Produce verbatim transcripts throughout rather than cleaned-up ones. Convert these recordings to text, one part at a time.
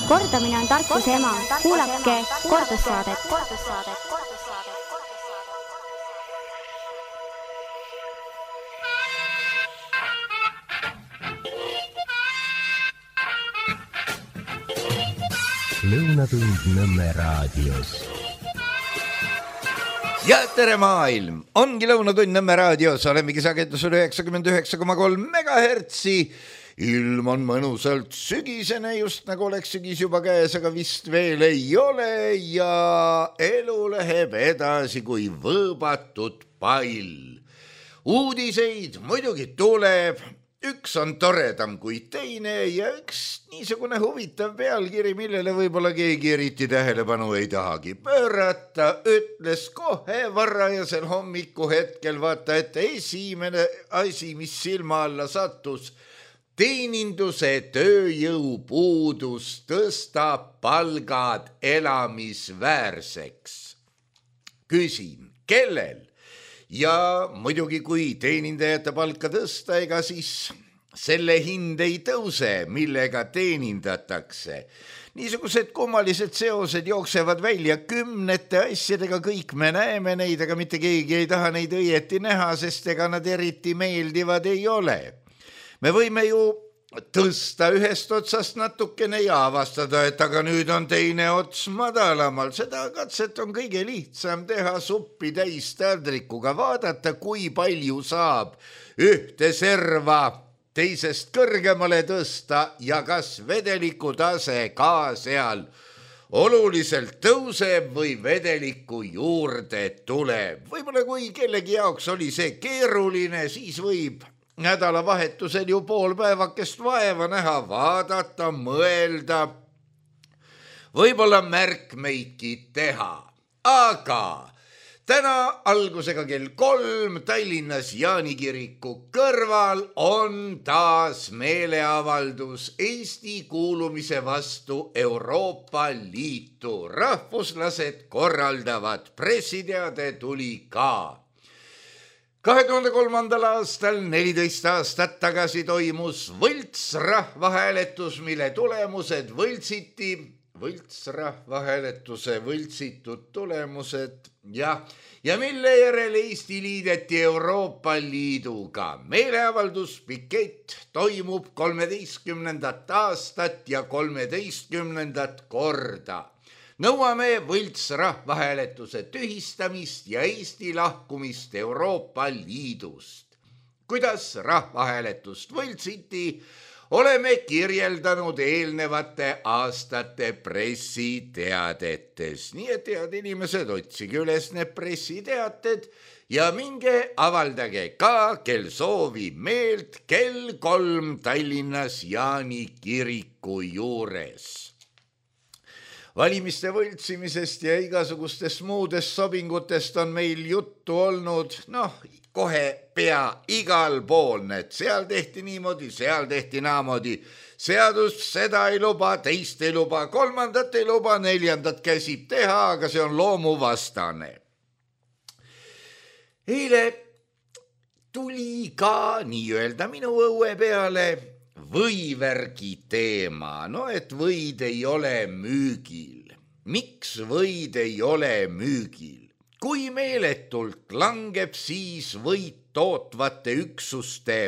Kordamine on tarkuse ema. Kuulake kordussaadet. Lõunatund Nõmme raadios. Ja tere maailm! Ongi Lõunatund Nõmme raadios, olemegi sagedusel üheksakümmend üheksa koma kolm megahertsi. Ilm on mõnusalt sügisene, just nagu oleks sügis juba käes, aga vist veel ei ole ja elu läheb edasi kui võõbatud pall. Uudiseid muidugi tuleb, üks on toredam kui teine ja üks niisugune huvitav pealkiri, millele võib-olla keegi eriti tähelepanu ei tahagi pöörata, ütles kohe varajasel hommiku hetkel, vaata, et esimene asi, mis silma alla sattus, teeninduse tööjõupuudus tõstab palgad elamisväärseks. Küsin, kellel? Ja muidugi kui teenindajate palka tõsta, ega siis selle hind ei tõuse, millega teenindatakse. Niisugused kummalised seosed jooksevad välja kümnete asjadega, kõik me näeme neid, aga mitte keegi ei taha neid õieti näha, sest ega nad eriti meeldivad ei ole. Me võime ju tõsta ühest otsast natukene ja avastada, et aga nüüd on teine ots madalamal. Seda katset on kõige lihtsam teha suppi täis taldrikuga, vaadata, kui palju saab ühte serva teisest kõrgemale tõsta ja kas vedeliku tase ka seal oluliselt tõuseb või vedeliku juurde tuleb. Võib-olla kui kellegi jaoks oli see keeruline, siis võib nädalavahetusel ju pool päevakest vaeva näha, vaadata, mõelda, võib-olla märkmeidki teha. Aga täna algusega kell kolm Tallinnas Jaanikiriku kõrval on taas meeleavaldus Eesti kuulumise vastu Euroopa Liitu. Rahvuslased korraldavad, pressiteade tuli ka. kahe tuhande kolmandal aastal, neliteist aastat tagasi toimus võltsrahvahääletus, mille tulemused võltsiti, võltsrahvahääletuse võltsitud tulemused ja, ja mille järel Eesti liideti Euroopa Liiduga. Meeleavaldus pikett toimub kolmeteistkümnendat aastat ja kolmeteistkümnendat korda. Nõuame võltsrahvahääletuse tühistamist ja Eesti lahkumist Euroopa Liidust. Kuidas rahvahääletust võltsiti, oleme kirjeldanud eelnevate aastate pressiteadetes. Nii et head inimesed, otsige üles need pressiteated ja minge avaldage ka, kel soovib meelt, kell kolm Tallinnas Jaanikiriku juures. Valimiste võltsimisest ja igasugustest muudest sobingutest on meil juttu olnud, noh, kohe pea igal pool, et seal tehti niimoodi, seal tehti naamoodi. Seadus seda ei luba, teist ei luba, kolmandat ei luba, neljandat käsib teha, aga see on loomuvastane. Eile tuli ka nii-öelda minu õue peale võivärgi teema, no et võid ei ole müügil. Miks võid ei ole müügil? Kui meeletult langeb siis võid tootvate üksuste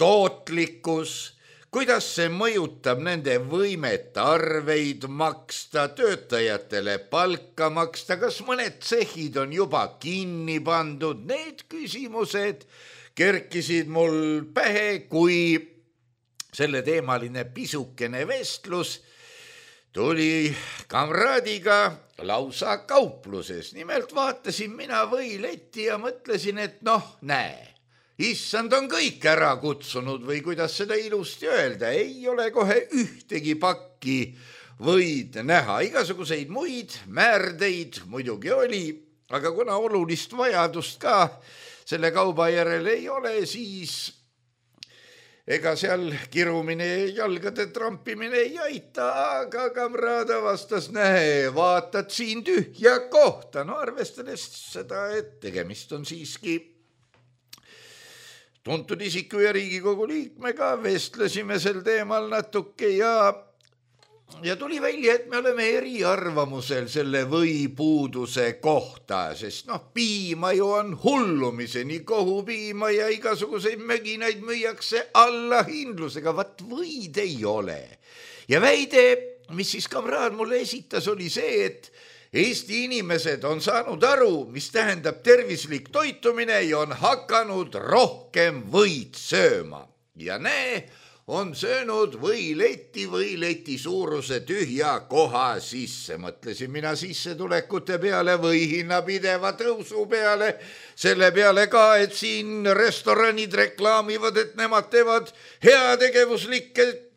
tootlikkus, kuidas see mõjutab nende võimet arveid maksta, töötajatele palka maksta, kas mõned tsehhid on juba kinni pandud, need küsimused kerkisid mul pähe, kui selle teemaline pisukene vestlus tuli kamraadiga lausa kaupluses. Nimelt vaatasin mina võiletti ja mõtlesin, et noh, näe, issand on kõik ära kutsunud või kuidas seda ilusti öelda, ei ole kohe ühtegi pakki võid näha. Igasuguseid muid määrdeid muidugi oli, aga kuna olulist vajadust ka selle kauba järel ei ole, siis ega seal kirumine ja jalgade trampimine ei aita, aga kamraada vastas, näe, vaatad siin tühja kohta. No arvestades seda, et tegemist on siiski tuntud isiku ja Riigikogu liikmega, vestlesime sel teemal natuke ja ja tuli välja, et me oleme eriarvamusel selle võipuuduse kohta, sest noh, piima ju on hullumiseni, kohupiima ja igasuguseid möginaid müüakse allahindlusega, vat võid ei ole. Ja väide, mis siis kamraad mulle esitas, oli see, et Eesti inimesed on saanud aru, mis tähendab tervislik toitumine ja on hakanud rohkem võid sööma. Ja näe, on söönud võileti, võileti suuruse tühja koha sisse. Mõtlesin mina sissetulekute peale või hinna pideva tõusu peale, selle peale ka, et siin restoranid reklaamivad, et nemad teevad heategevuslikke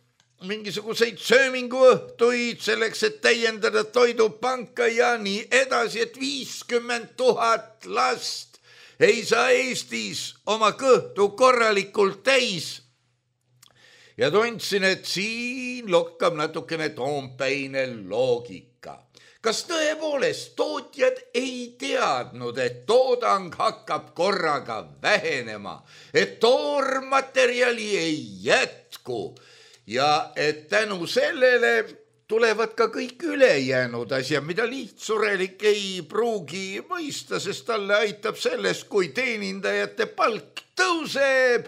mingisuguseid sööminguõhtuid selleks, et täiendada toidupanka ja nii edasi, et viiskümmend tuhat last ei saa Eestis oma kõhtu korralikult täis. Ja tundsin, et siin lokkab natukene toompäine loogika. Kas tõepoolest tootjad ei teadnud, et toodang hakkab korraga vähenema, et toormaterjali ei jätku, ja et tänu sellele tulevad ka kõik ülejäänud asjad, mida lihtsurelik ei pruugi mõista, sest talle aitab sellest, kui teenindajate palk tõuseb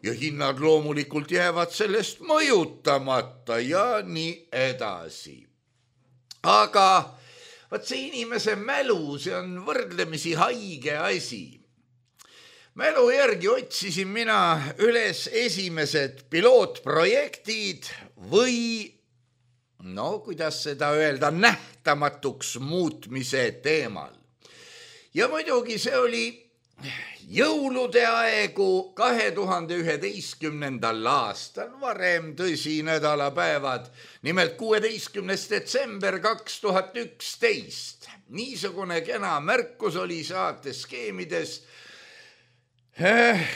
ja hinnad loomulikult jäävad sellest mõjutamata ja nii edasi. Aga vaat see inimese mälu, see on võrdlemisi haige asi. Mälu järgi otsisin mina üles esimesed pilootprojektid või, no kuidas seda öelda, nähtamatuks muutmise teemal. Ja muidugi see oli jõulude aegu kahe tuhande üheteistkümnendal aastal, varem tõsi nädalapäevad, nimelt kuueteistkümnes detsember kaks tuhat üksteist. Niisugune kena märkus oli saate skeemides.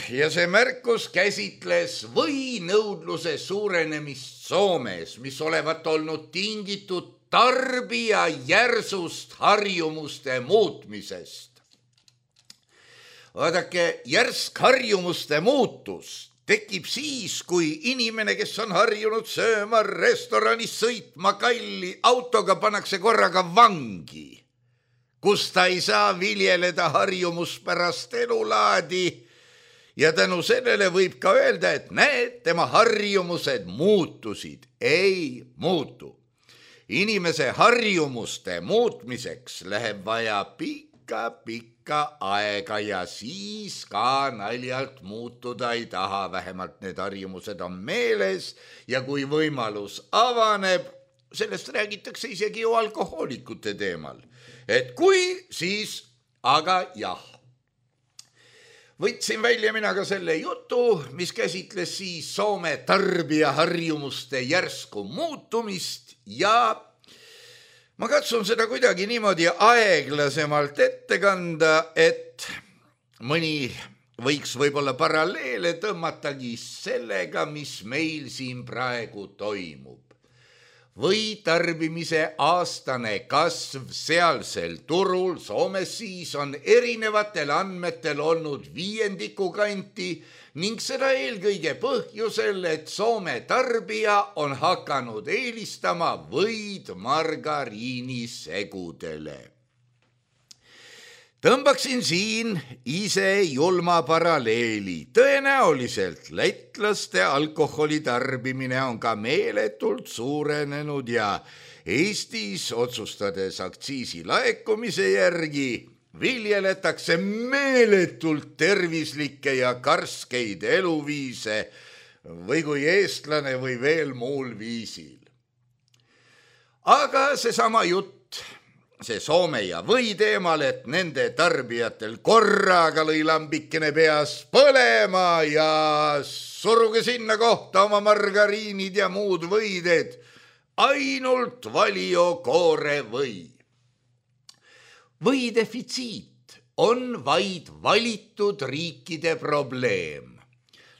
Ja see märkus käsitles võinõudluse suurenemist Soomes, mis olevat olnud tingitud tarbija järsust harjumuste muutmisest. Vaadake, järsk harjumuste muutus tekib siis, kui inimene, kes on harjunud sööma restoranis, sõitma kalli autoga, pannakse korraga vangi, kus ta ei saa viljeleda harjumuspärast elulaadi. Ja tänu sellele võib ka öelda, et näed, tema harjumused muutusid. Ei muutu. Inimese harjumuste muutmiseks läheb vaja pikka-pikka aega ja siis ka naljalt muutuda ei taha. Vähemalt need harjumused on meeles ja kui võimalus avaneb, sellest räägitakse isegi ju alkohoolikute teemal. Et kui, siis aga jah. Võtsin välja mina ka selle jutu, mis käsitles siis Soome tarbija harjumuste järsku muutumist ja ma katsun seda kuidagi niimoodi aeglasemalt ette kanda, et mõni võiks võib-olla paralleele tõmmatagi sellega, mis meil siin praegu toimub. Või tarbimise aastane kasv sealsel turul, Soomes siis on erinevatel andmetel olnud viiendiku kanti ning seda eelkõige põhjusel, et Soome tarbija on hakanud eelistama võid margariinisegudele. Tõmbaksin siin ise julma paralleeli. Tõenäoliselt lätlaste alkoholi tarbimine on ka meeletult suurenenud ja Eestis otsustades aktsiisi laekumise järgi viljeletakse meeletult tervislikke ja karskeid eluviise või kui eestlane või veel muul viisil. Aga seesama jutt, see Soome ja või teemal, et nende tarbijatel korraga lõi lambikene peas põlema ja suruge sinna kohta oma margariinid ja muud võided, ainult Valio koore või. Võidefitsiit on vaid valitud riikide probleem.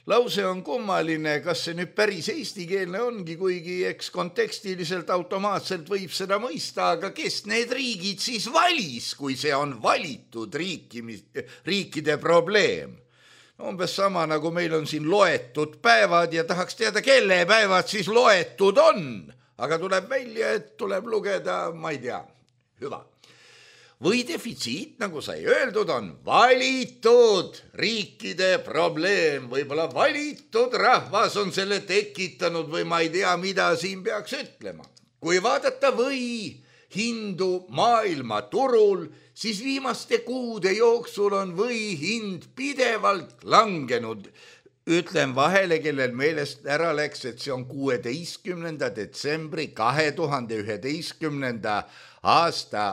Lause on kummaline, kas see nüüd päris eestikeelne ongi, kuigi eks kontekstiliselt automaatselt võib seda mõista, aga kes need riigid siis valis, kui see on valitud riiki, riikide probleem? Umbes sama nagu meil on siin loetud päevad ja tahaks teada, kelle päevad siis loetud on. aga tuleb välja, et tuleb lugeda, ma ei tea, hüva. Või defitsiit, nagu sai öeldud, on valitud riikide probleem, võib-olla valitud rahvas on selle tekitanud või ma ei tea, mida siin peaks ütlema. Kui vaadata või hindu maailmaturul, siis viimaste kuude jooksul on või hind pidevalt langenud. Ütlen vahele, kellel meelest ära läks, et see on kuueteistkümnenda detsembri kahe tuhande üheteistkümnenda aasta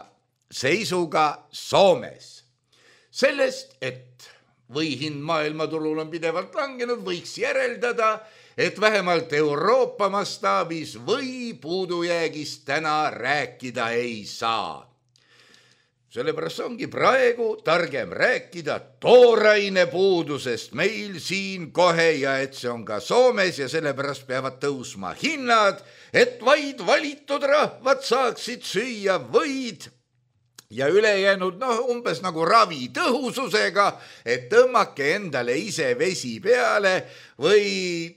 seisuga Soomes. Sellest, et või hind maailmaturul on pidevalt langenud, võiks järeldada, et vähemalt Euroopa mastaabis või puudujäägist täna rääkida ei saa. Sellepärast ongi praegu targem rääkida tooraine puudusest meil siin kohe ja et see on ka Soomes ja sellepärast peavad tõusma hinnad, et vaid valitud rahvad saaksid süüa võid ja ülejäänud noh, umbes nagu ravi tõhususega, et tõmmake endale ise vesi peale või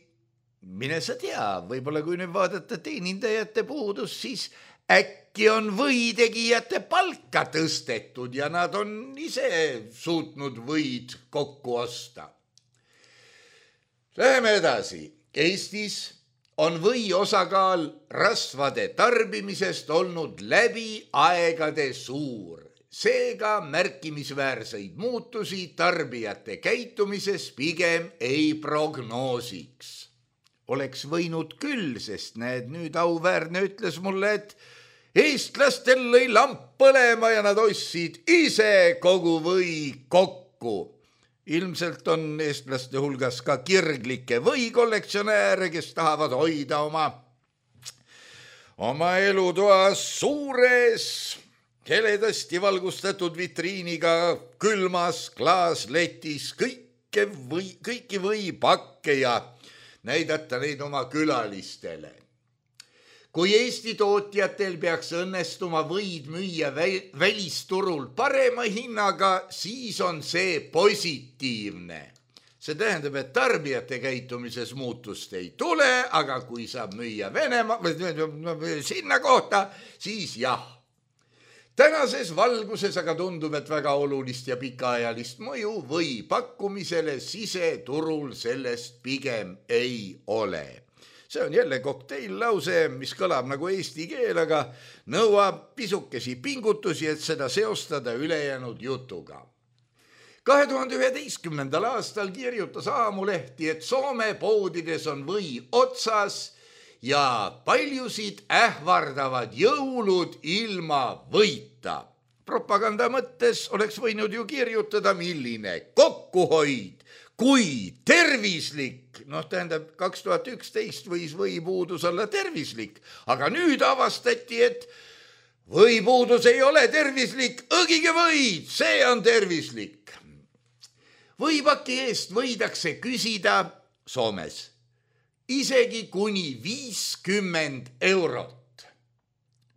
mine sa tea, võib-olla kui nüüd vaadata teenindajate puudus, siis äkki on võitegijate palka tõstetud ja nad on ise suutnud võid kokku osta. Läheme edasi. Eestis on või osakaal rasvade tarbimisest olnud läbi aegade suur. Seega märkimisväärseid muutusi tarbijate käitumises pigem ei prognoosiks. Oleks võinud küll, sest näed, nüüd auväärne ütles mulle, et eestlastel lõi lamp põlema ja nad ostsid ise kogu või kokku. Ilmselt on eestlaste hulgas ka kirglikke või kollektsionääre, kes tahavad hoida oma, oma elutoas suures, heledasti valgustatud vitriiniga külmas klaasletis kõike või, kõiki võipakke ja näidata neid oma külalistele. Kui Eesti tootjatel peaks õnnestuma võid müüa välisturul parema hinnaga, siis on see positiivne. See tähendab, et tarbijate käitumises muutust ei tule, aga kui saab müüa Venemaa või sinna kohta, siis jah. Tänases valguses aga tundub, et väga olulist ja pikaajalist mõju või pakkumisele siseturul sellest pigem ei ole. See on jälle kokteillause, mis kõlab nagu eesti keel, aga nõuab pisukesi pingutusi, et seda seostada ülejäänud jutuga. kahe tuhande üheteistkümnendal aastal kirjutas Aamulehti, et Soome poodides on või otsas ja paljusid ähvardavad jõulud ilma võita. Propaganda mõttes oleks võinud ju kirjutada, milline kokkuhoid, kui tervislik, noh tähendab kaks tuhat üksteist võis võipuudus olla tervislik, aga nüüd avastati, et võipuudus ei ole tervislik, õgige võid, see on tervislik. Võipaki eest võidakse küsida Soomes isegi kuni viiskümmend eurot.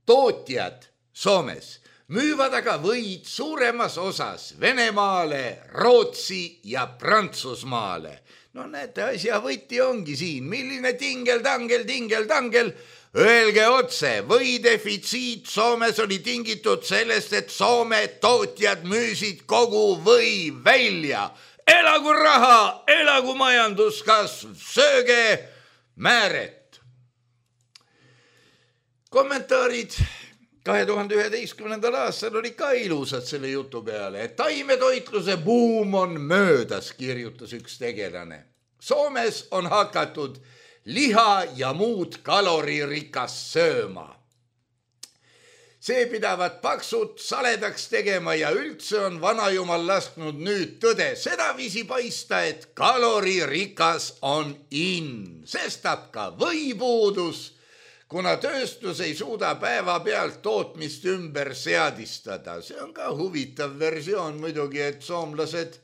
Tootjad Soomes müüvad aga võid suuremas osas Venemaale, Rootsi ja Prantsusmaale. No näete, asja võti ongi siin, milline tingel, tangel, tingel, tangel. Öelge otse, või defitsiit Soomes oli tingitud sellest, et Soome tootjad müüsid kogu või välja. Elagu raha, elagu majanduskasv, sööge määret. Kommentaarid kahe tuhande üheteistkümnendal aastal oli ka ilusad selle jutu peale, et taimetoitluse buum on möödas, kirjutas üks tegelane. Soomes on hakatud liha ja muud kaloririkast sööma. See pidavat paksut saledaks tegema ja üldse on vanajumal lasknud nüüd tõde sedaviisi paista, et kaloririkas on in, sestap ka võipuudus, kuna tööstus ei suuda päeva pealt tootmist ümber seadistada. See on ka huvitav versioon muidugi, et soomlased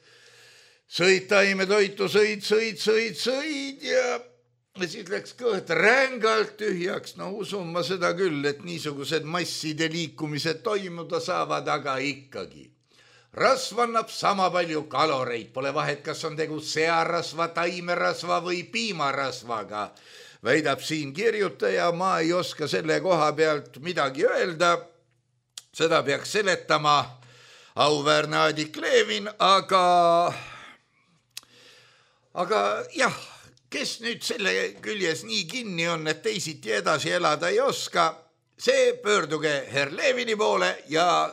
sõid taimetoitu, sõid, sõid, sõid, sõid ja siis läks kõht rängalt tühjaks. No usun ma seda küll, et niisugused masside liikumised toimuda saavad, aga ikkagi. Rasv annab sama palju kaloreid, pole vahet, kas on tegu searasva, taimerasva või piimarasvaga. väidab siin kirjutaja, ma ei oska selle koha pealt midagi öelda, seda peaks seletama auväärne Aadik Levin, aga, aga jah, kes nüüd selle küljes nii kinni on, et teisiti edasi elada ei oska, see pöörduge herr Levini poole ja,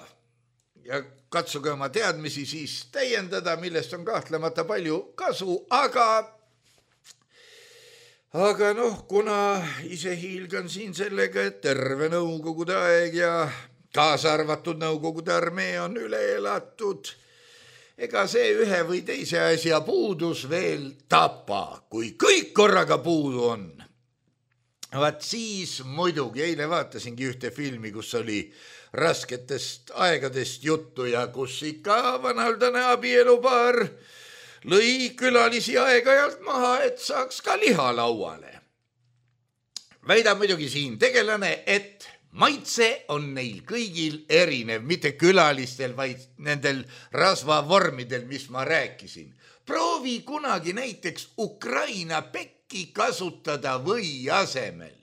ja katsuge oma teadmisi siis täiendada, millest on kahtlemata palju kasu, aga, aga noh, kuna ise hiilgan siin sellega, et terve nõukogude aeg ja kaasa arvatud nõukogude armee on üle elatud, ega see ühe või teise asja puudus veel tapa, kui kõik korraga puudu on. Vaat siis muidugi, eile vaatasingi ühte filmi, kus oli rasketest aegadest juttu ja kus ikka vanaldane abielupaar lõi külalisi aeg-ajalt maha, et saaks ka liha lauale. Väidab muidugi siin tegelane, et maitse on neil kõigil erinev, mitte külalistel, vaid nendel rasvavormidel, mis ma rääkisin. Proovi kunagi näiteks Ukraina pekki kasutada või asemel.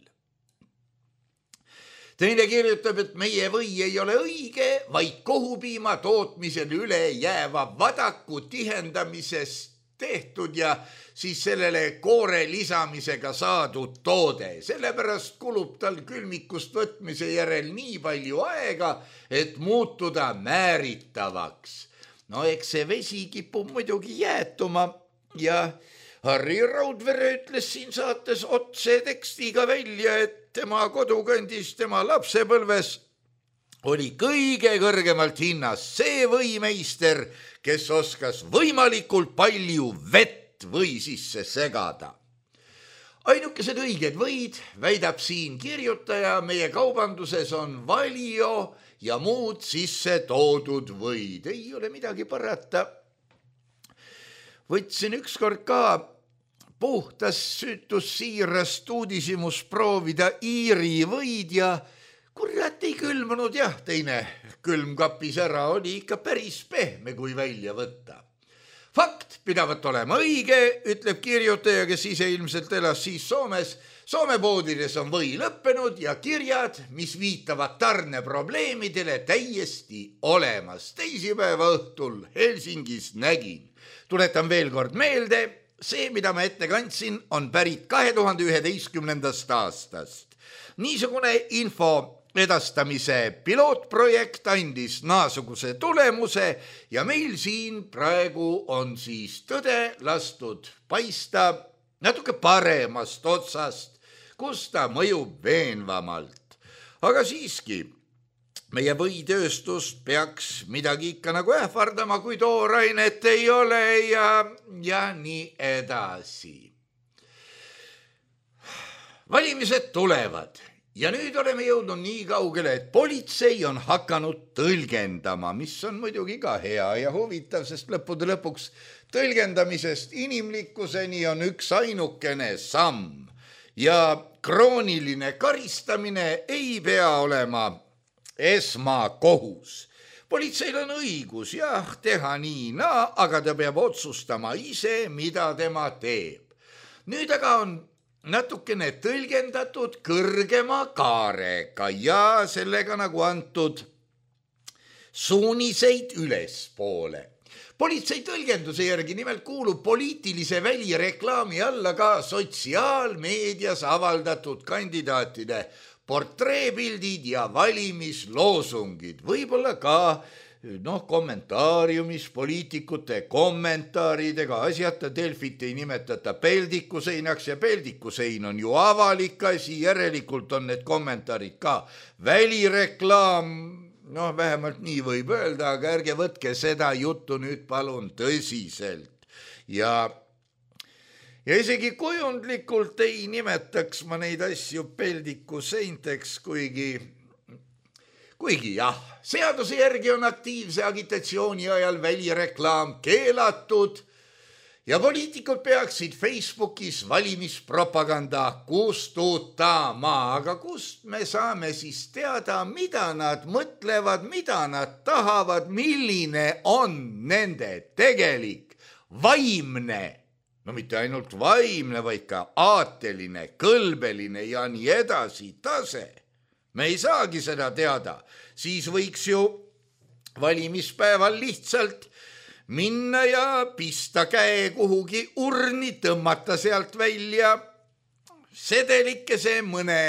Teine kirjutab, et meie või ei ole õige, vaid kohupiima tootmisel üle jääva vadaku tihendamisest tehtud ja siis sellele koore lisamisega saadud toode. Sellepärast kulub tal külmikust võtmise järel nii palju aega, et muutuda määritavaks. No eks see vesi kipub muidugi jäätuma ja Harri Raudvere ütles siin saates otse tekstiga välja, et tema kodukandis, tema lapsepõlves oli kõige kõrgemalt hinnas see võimeister, kes oskas võimalikult palju vett või sisse segada. Ainukesed õiged võid, väidab siin kirjutaja, meie kaubanduses on Valio ja muud sisse toodud võid. Ei ole midagi parata. Võtsin ükskord ka puhtas süütus siirast uudisimus proovida Iiri võid ja kurat ei külmunud jah, teine külmkapis ära oli ikka päris pehme, kui välja võtta. Fakt pidavat olema õige, ütleb kirjutaja, kes ise ilmselt elas siis Soomes. Soome poodides on või lõppenud ja kirjad, mis viitavad tarneprobleemidele, täiesti olemas. Teisipäeva õhtul Helsingis nägin. Tuletan veel kord meelde, see, mida ma ette kandsin, on pärit kahe tuhande üheteistkümnendast aastast. Niisugune info edastamise pilootprojekt andis naasuguse tulemuse ja meil siin praegu on siis tõde lastud paista natuke paremast otsast, kus ta mõjub veenvamalt. Aga siiski, meie võitööstust peaks midagi ikka nagu ähvardama, kui toorainet ei ole ja, ja nii edasi. Valimised tulevad. Ja nüüd oleme jõudnud nii kaugele, et politsei on hakanud tõlgendama, mis on muidugi ka hea ja huvitav, sest lõppude lõpuks tõlgendamisest inimlikkuseni on üks ainukene samm ja krooniline karistamine ei pea olema esmakohus. Politseil on õigus jah, teha nii, naa, aga ta peab otsustama ise, mida tema teeb. Nüüd aga on natukene tõlgendatud kõrgema kaarega ja sellega nagu antud suuniseid ülespoole. Politsei tõlgenduse järgi nimelt kuulub poliitilise välireklaami alla ka sotsiaalmeedias avaldatud kandidaatide portreepildid ja valimisloosungid, võib-olla ka noh, kommentaariumis poliitikute kommentaaridega asjata. Delfit ei nimetata peldikuseinaks ja peldikusein on ju avalik asi, järelikult on need kommentaarid ka välireklaam. Noh, vähemalt nii võib öelda, aga ärge võtke seda juttu nüüd palun tõsiselt. Ja, ja isegi kujundlikult ei nimetaks ma neid asju peldikuseinteks, kuigi Kuigi jah, seaduse järgi on aktiivse agitatsiooni ajal välireklaam keelatud ja poliitikud peaksid Facebookis valimispropaganda kustutama, aga kust me saame siis teada, mida nad mõtlevad, mida nad tahavad, milline on nende tegelik vaimne, no mitte ainult vaimne, vaid ka aateline, kõlbeline ja nii edasi tase. Me ei saagi seda teada, siis võiks ju valimispäeval lihtsalt minna ja pista käe kuhugi urni, tõmmata sealt välja sedelikese mõne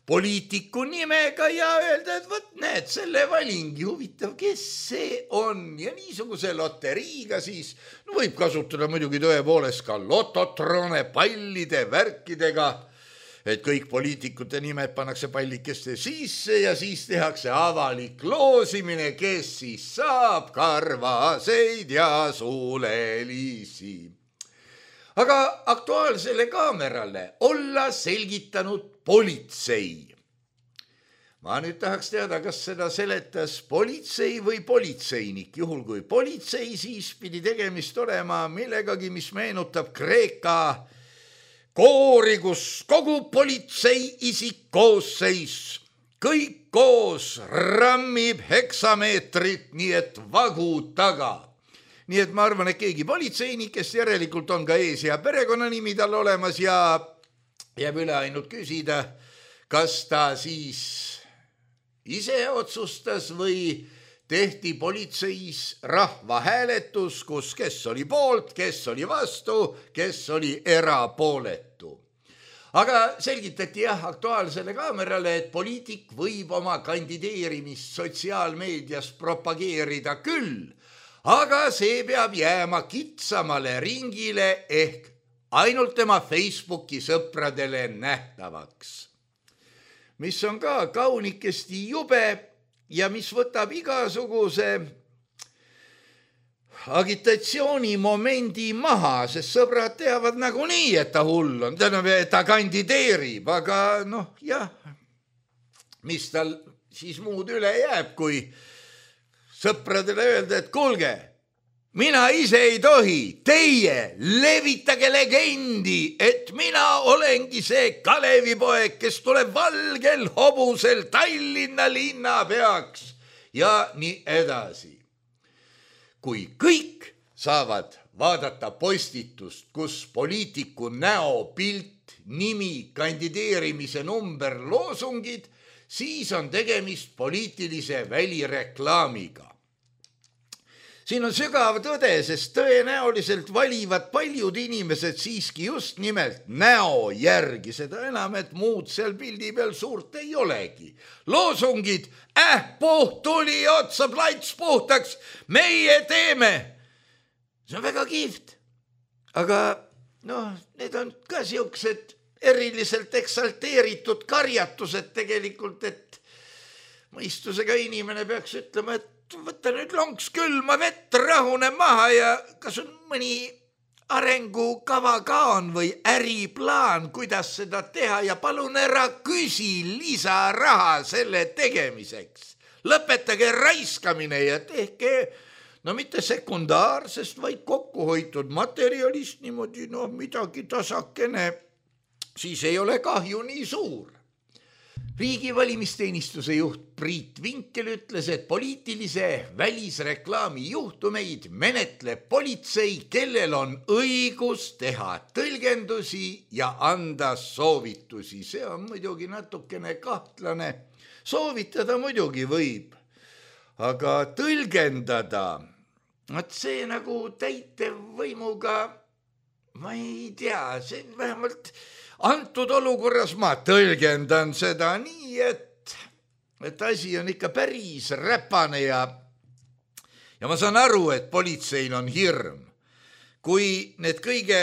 poliitiku nimega ja öelda, et võt näed, selle valingi, huvitav, kes see on. Ja niisuguse loteriiga siis no võib kasutada muidugi tõepoolest ka lototrone pallide värkidega, et kõik poliitikute nimed pannakse pallikeste sisse ja siis tehakse avalik loosimine, kes siis saab karvaseid ja suulelisi. Aga Aktuaalsele Kaamerale olla selgitanud politsei. Ma nüüd tahaks teada, kas seda seletas politsei või politseinik. Juhul kui politsei, siis pidi tegemist olema millegagi, mis meenutab Kreeka koori, kus kogu politsei isikkoosseis kõik koos rammib heksameetrit, nii et vagu taga. Nii et ma arvan, et keegi politseinik, kes järelikult on ka ees- ja perekonnanimi tal olemas ja jääb üle ainult küsida, kas ta siis ise otsustas või tehti politseis rahvahääletus, kus kes oli poolt, kes oli vastu, kes oli erapooletu. Aga selgitati jah Aktuaalsele Kaamerale, et poliitik võib oma kandideerimist sotsiaalmeedias propageerida küll, aga see peab jääma kitsamale ringile ehk ainult tema Facebooki sõpradele nähtavaks. Mis on ka kaunikesti jube ja mis võtab igasuguse agitatsioonimomendi maha, sest sõbrad teavad nagunii, et ta hull on, et ta kandideerib, aga noh jah, mis tal siis muud üle jääb, kui sõpradele öelda, et kuulge, mina ise ei tohi, teie levitage legendi, et mina olengi see Kalevipoeg, kes tuleb valgel hobusel Tallinna linnapeaks ja nii edasi. Kui kõik saavad vaadata postitust, kus poliitiku näo, pilt, nimi, kandideerimise number, loosungid, siis on tegemist poliitilise välireklaamiga. Siin on sügav tõde, sest tõenäoliselt valivad paljud inimesed siiski just nimelt näo järgi, seda enam, et muud seal pildi peal suurt ei olegi. Loosungid, äh, puht tuli otsa, plats puhtaks, meie teeme. See on väga kihvt. Aga noh, need on ka siuksed eriliselt eksalteeritud karjatused tegelikult, et mõistusega inimene peaks ütlema, et võtta nüüd lonks külma vett, rahune maha ja kas on mõni arengukava ka on või äriplaan, kuidas seda teha ja palun ära küsi lisaraha selle tegemiseks. Lõpetage raiskamine ja tehke, no mitte sekundaarsest, vaid kokkuhoitud materjalist niimoodi, no midagi tasakene, siis ei ole kahju nii suur. Riigi valimisteenistuse juht Priit Vinkel ütles, et poliitilise välisreklaami juhtumeid menetleb politsei, kellel on õigus teha tõlgendusi ja anda soovitusi. See on muidugi natukene kahtlane. Soovitada muidugi võib, aga tõlgendada, et see nagu täitevvõimuga, ma ei tea, see vähemalt antud olukorras ma tõlgendan seda nii, et, et asi on ikka päris räpane ja, ja ma saan aru, et politseil on hirm. Kui need kõige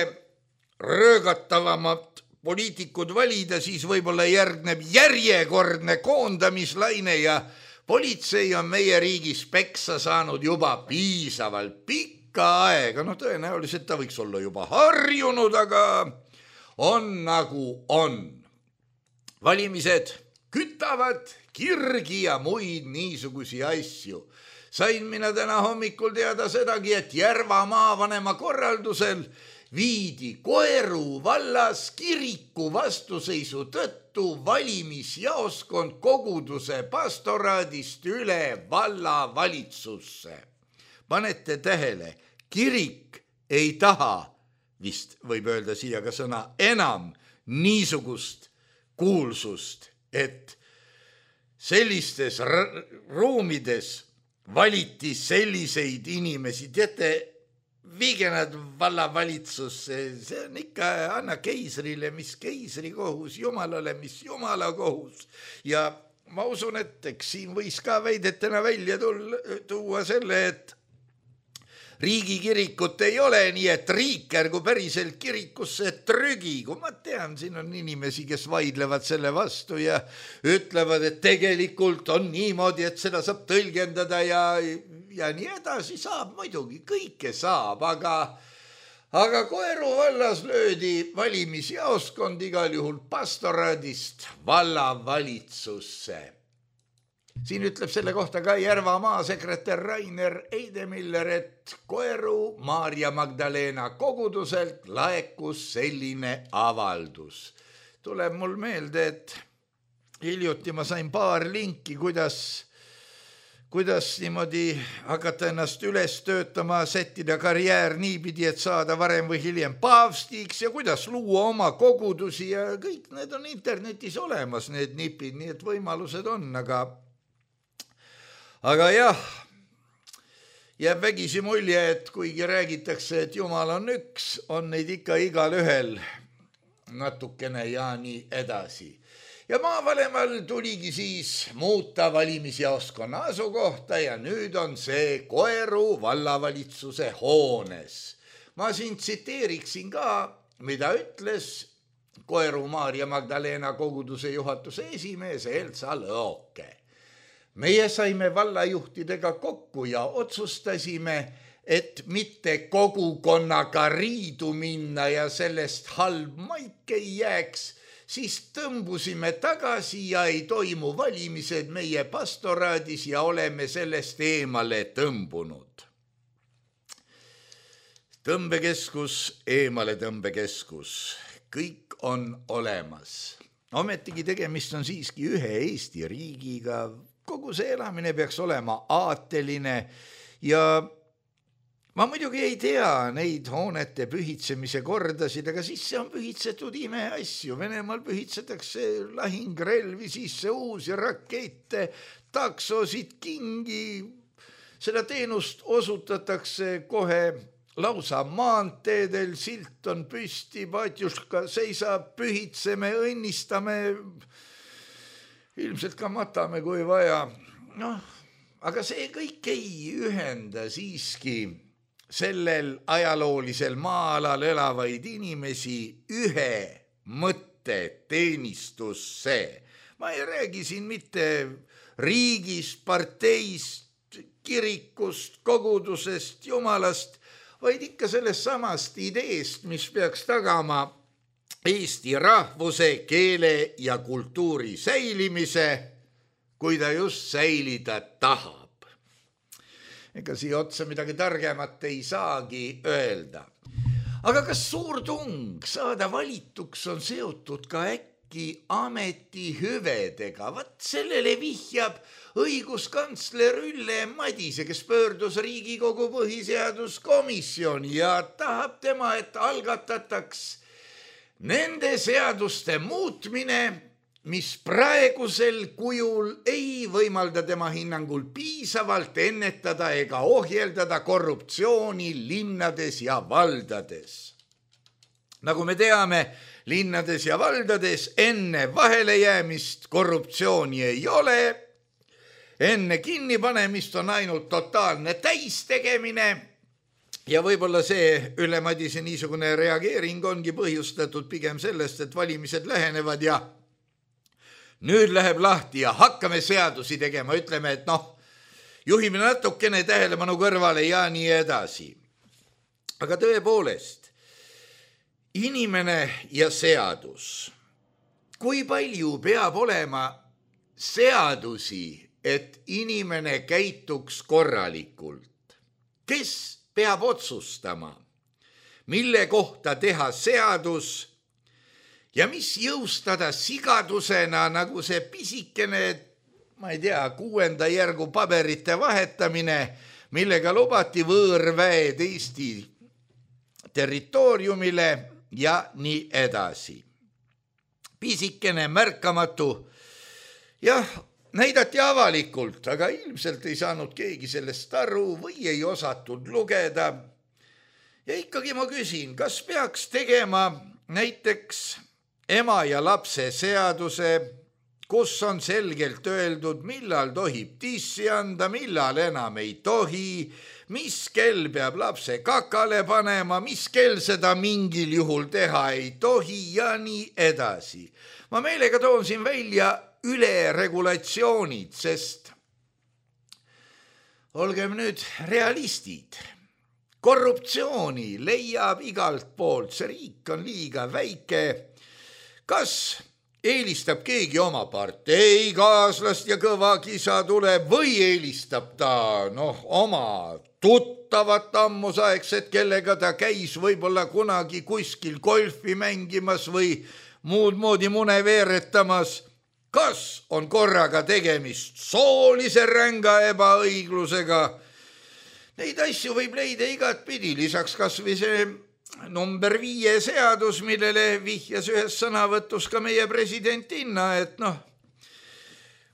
röögatavamad poliitikud valida, siis võib-olla järgneb järjekordne koondamislaine ja politsei on meie riigis peksa saanud juba piisavalt pikka aega. No tõenäoliselt ta võiks olla juba harjunud, aga on nagu on. Valimised kütavad kirgi ja muid niisugusi asju. Sain mina täna hommikul teada sedagi, et Järva maavanema korraldusel viidi Koeru vallas kiriku vastuseisu tõttu valimisjaoskond koguduse pastoraadist üle vallavalitsusse. Panete tähele, kirik ei taha vist võib öelda siia ka sõna enam niisugust kuulsust, et sellistes ruumides valiti selliseid inimesi, teate, viige nad vallavalitsusse, see on ikka anna keisrile, mis keisri kohus, jumalale, mis jumala kohus. Ja ma usun, et eks siin võis ka väidetena välja tulla, tuua selle, et riigikirikut ei ole, nii et riik ärgu päriselt kirikusse trügi. Kui ma tean, siin on inimesi, kes vaidlevad selle vastu ja ütlevad, et tegelikult on niimoodi, et seda saab tõlgendada ja, ja nii edasi saab muidugi, kõike saab, aga, aga Koeru vallas löödi valimisjaoskond igal juhul pastoraadist vallavalitsusse. Siin ütleb selle kohta ka Järvamaa sekretär Rainer Eidemiller, et Koeru Maarja Magdalena koguduselt laekus selline avaldus. Tuleb mul meelde, et hiljuti ma sain paar linki, kuidas, kuidas niimoodi hakata ennast üles töötama, sättida karjäär niipidi, et saada varem või hiljem paavstiks ja kuidas luua oma kogudusi ja kõik need on internetis olemas, need nipid, nii et võimalused on, aga Aga jah, jääb vägisi mulje, et kuigi räägitakse, et Jumal on üks, on neid ikka igal ühel natukene ja nii edasi. Ja maavalemal tuligi siis muuta valimisjaoskonna asukohta ja nüüd on see Koeru vallavalitsuse hoones. Ma siin tsiteeriksin ka, mida ütles Koeru Maarja Magdalena koguduse juhatuse esimees Elsa Lõoke. Meie saime vallajuhtidega kokku ja otsustasime, et mitte kogukonnaga riidu minna ja sellest halb maik ei jääks, siis tõmbusime tagasi ja ei toimu valimised meie pastoraadis ja oleme sellest eemale tõmbunud. Tõmbekeskus, eemale tõmbekeskus, kõik on olemas. Ometigi tegemist on siiski ühe Eesti riigiga. Kogu see elamine peaks olema aateline ja ma muidugi ei tea neid hoonete pühitsemise kordasid, aga sisse on pühitsetud imeasju. Venemaal pühitsetakse lahingrelvi sisse, uusi rakette, taksosid, kingi. Seda teenust osutatakse kohe lausa maanteedel, silt on püsti, patjuška seisab, pühitseme, õnnistame, ilmselt ka matame, kui vaja. Noh, aga see kõik ei ühenda siiski sellel ajaloolisel maa-alal elavaid inimesi ühe mõtte teenistusse. Ma ei räägi siin mitte riigist, parteist, kirikust, kogudusest, jumalast, vaid ikka sellest samast ideest, mis peaks tagama Eesti rahvuse, keele ja kultuuri säilimise, kui ta just säilida tahab. Ega siia otsa midagi targemat ei saagi öelda. Aga kas suur tung saada valituks on seotud ka äkki ametihüvedega? Vat sellele vihjab õiguskantsler Ülle Madise, kes pöördus Riigikogu põhiseaduskomisjoni ja tahab tema, et algatataks nende seaduste muutmine, mis praegusel kujul ei võimalda tema hinnangul piisavalt ennetada ega ohjeldada korruptsiooni linnades ja valdades. Nagu me teame, linnades ja valdades enne vahelejäämist korruptsiooni ei ole, enne kinnipanemist on ainult totaalne täistegemine. Ja võib-olla see Ülle Madise niisugune reageering ongi põhjustatud pigem sellest, et valimised lähenevad ja nüüd läheb lahti ja hakkame seadusi tegema, ütleme, et noh, juhime natukene tähelepanu kõrvale ja nii edasi. Aga tõepoolest, inimene ja seadus. Kui palju peab olema seadusi, et inimene käituks korralikult? Kes peab otsustama, mille kohta teha seadus ja mis jõustada sigadusena, nagu see pisikene, ma ei tea, kuuenda järgu paberite vahetamine, millega lubati võõrväed Eesti territooriumile ja nii edasi. Pisikene, märkamatu, jah, näidati avalikult, aga ilmselt ei saanud keegi sellest aru või ei osatud lugeda. Ja ikkagi ma küsin, kas peaks tegema näiteks ema ja lapse seaduse, kus on selgelt öeldud, millal tohib tissi anda, millal enam ei tohi, mis kell peab lapse kakale panema, mis kell seda mingil juhul teha ei tohi ja nii edasi. Ma meelega toon siin välja üleregulatsioonid, sest olgem nüüd realistid. Korruptsiooni leiab igalt poolt, see riik on liiga väike. Kas eelistab keegi oma partei kaaslast ja kõva kisa tuleb või eelistab ta noh, oma tuttavat ammusaegset, kellega ta käis võib-olla kunagi kuskil golfi mängimas või muud moodi mune veeretamas. Kas on korraga tegemist soolise ränga ebaõiglusega? Neid asju võib leida igat pidi, lisaks kas või see number viie seadus, millele vihjas ühes sõnavõtus ka meie presidentinna, et noh,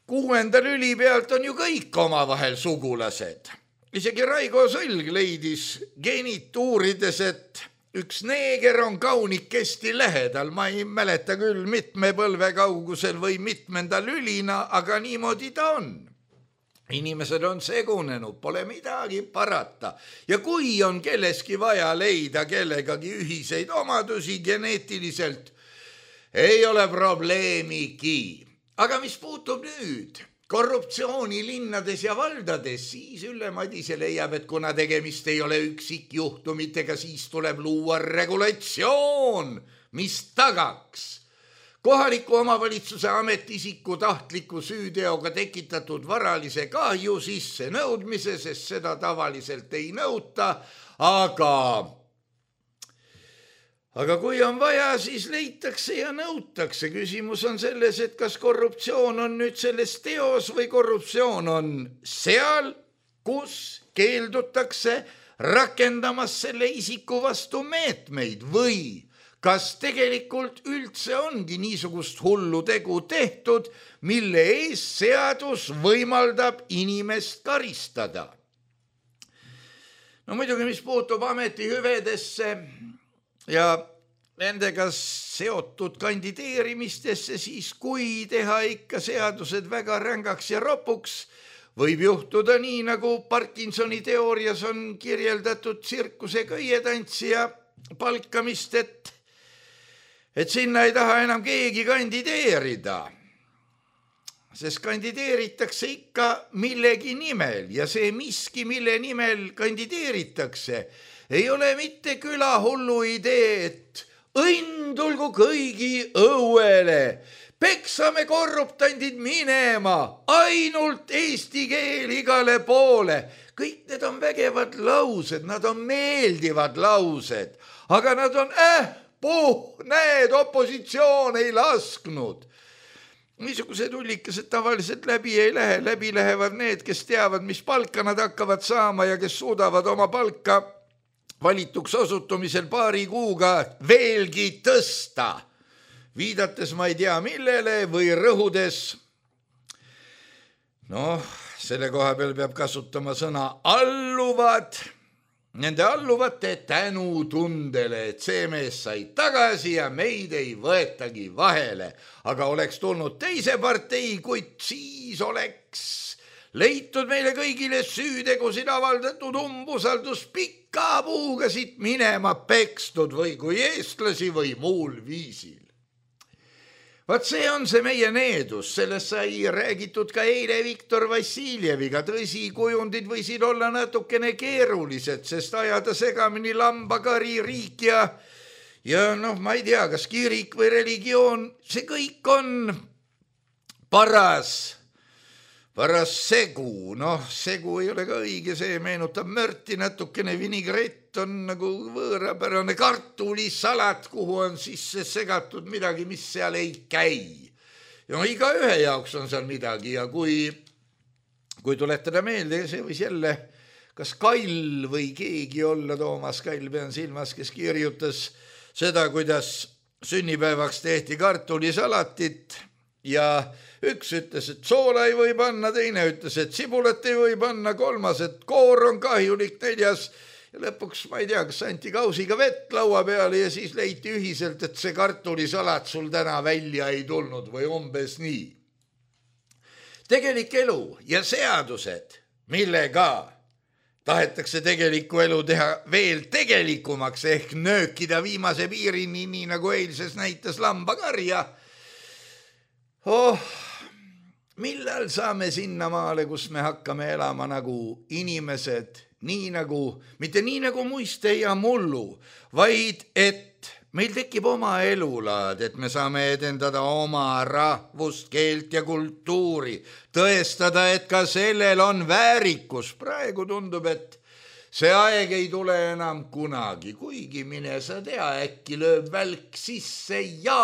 kuuenda lüli pealt on ju kõik omavahel sugulased. Isegi Raigo Sõlg leidis genituurides, et üks neeger on kaunikesti lähedal, ma ei mäleta küll mitme põlve kaugusel või mitmenda lülina, aga niimoodi ta on. Inimesed on segunenud, pole midagi parata. Ja kui on kelleski vaja leida kellegagi ühiseid omadusi geneetiliselt, ei ole probleemigi. Aga mis puutub nüüd korruptsiooni linnades ja valdades, siis Ülle Madise leiab, et kuna tegemist ei ole üksikjuhtumitega, siis tuleb luua regulatsioon, mis tagaks kohaliku omavalitsuse ametiisiku tahtliku süüteoga tekitatud varalise kahju sisse nõudmise, sest seda tavaliselt ei nõuta, aga, aga kui on vaja, siis leitakse ja nõutakse. Küsimus on selles, et kas korruptsioon on nüüd selles teos või korruptsioon on seal, kus keeldutakse rakendamas selle isiku vastu meetmeid või kas tegelikult üldse ongi niisugust hullu tegu tehtud, mille ees seadus võimaldab inimest karistada? No muidugi, mis puutub ametihüvedesse ja nendega seotud kandideerimistesse, siis kui teha ikka seadused väga rängaks ja ropuks, võib juhtuda nii, nagu Parkinsoni teoorias on kirjeldatud tsirkuse köietantsija palkamist, et et sinna ei taha enam keegi kandideerida, sest kandideeritakse ikka millegi nimel ja see miski, mille nimel kandideeritakse, ei ole mitte külahullu idee, et õnn tulgu kõigi õuele, peksame korruptandid minema, ainult eesti keel igale poole. Kõik need on vägevad laused, nad on meeldivad laused, aga nad on äh, puh, need opositsioon ei lasknud. Niisugused ullikesed tavaliselt läbi ei lähe, läbi lähevad need, kes teavad, mis palka nad hakkavad saama ja kes suudavad oma palka valituks osutumisel paari kuuga veelgi tõsta. Viidates ma ei tea millele või rõhudes, noh, selle koha peal peab kasutama sõna alluvad, nende alluvate tänutundele, et see mees sai tagasi ja meid ei võetagi vahele. Aga oleks tulnud teise partei, kuid siis oleks leitud meile kõigile süütegusid avaldatud umbusaldus pika puuga siit minema pekstud või kui eestlasi või muul viisil. Vaat see on see meie needus, sellest sai räägitud ka eile Viktor Vassiljeviga, tõsi, kujundid võisid olla natukene keerulised, sest ajada segamini lambakari, riik ja, ja noh, ma ei tea, kas kirik või religioon, see kõik on paras, paras segu, noh, segu ei ole ka õige, see meenutab mörti, natukene vinigrett on nagu võõrapärane kartulisalat, kuhu on sisse segatud midagi, mis seal ei käi. Ja iga ühe jaoks on seal midagi ja kui, kui tuletada meelde, see võis jälle kas Kail või keegi olla, Toomas Kail pean silmas, kes kirjutas seda, kuidas sünnipäevaks tehti kartulisalatit ja üks ütles, et soola ei või panna, teine ütles, et sibulat ei või panna, kolmas, et koor on kahjulik, neljas ja lõpuks ma ei tea, kas anti kausiga vett laua peale ja siis leiti ühiselt, et see kartulisalat sul täna välja ei tulnud või umbes nii. Tegelik elu ja seadused, millega tahetakse tegelikku elu teha veel tegelikumaks ehk nöökida viimase piirini, nii nagu eilses näitas lambakarja. Oh, millal saame sinna maale, kus me hakkame elama nagu inimesed, nii nagu, mitte nii nagu muiste ja mullu, vaid et meil tekib oma elulaad, et me saame edendada oma rahvust, keelt ja kultuuri, tõestada, et ka sellel on väärikus. Praegu tundub, et see aeg ei tule enam kunagi, kuigi mine sa tea, äkki lööb välk sisse ja.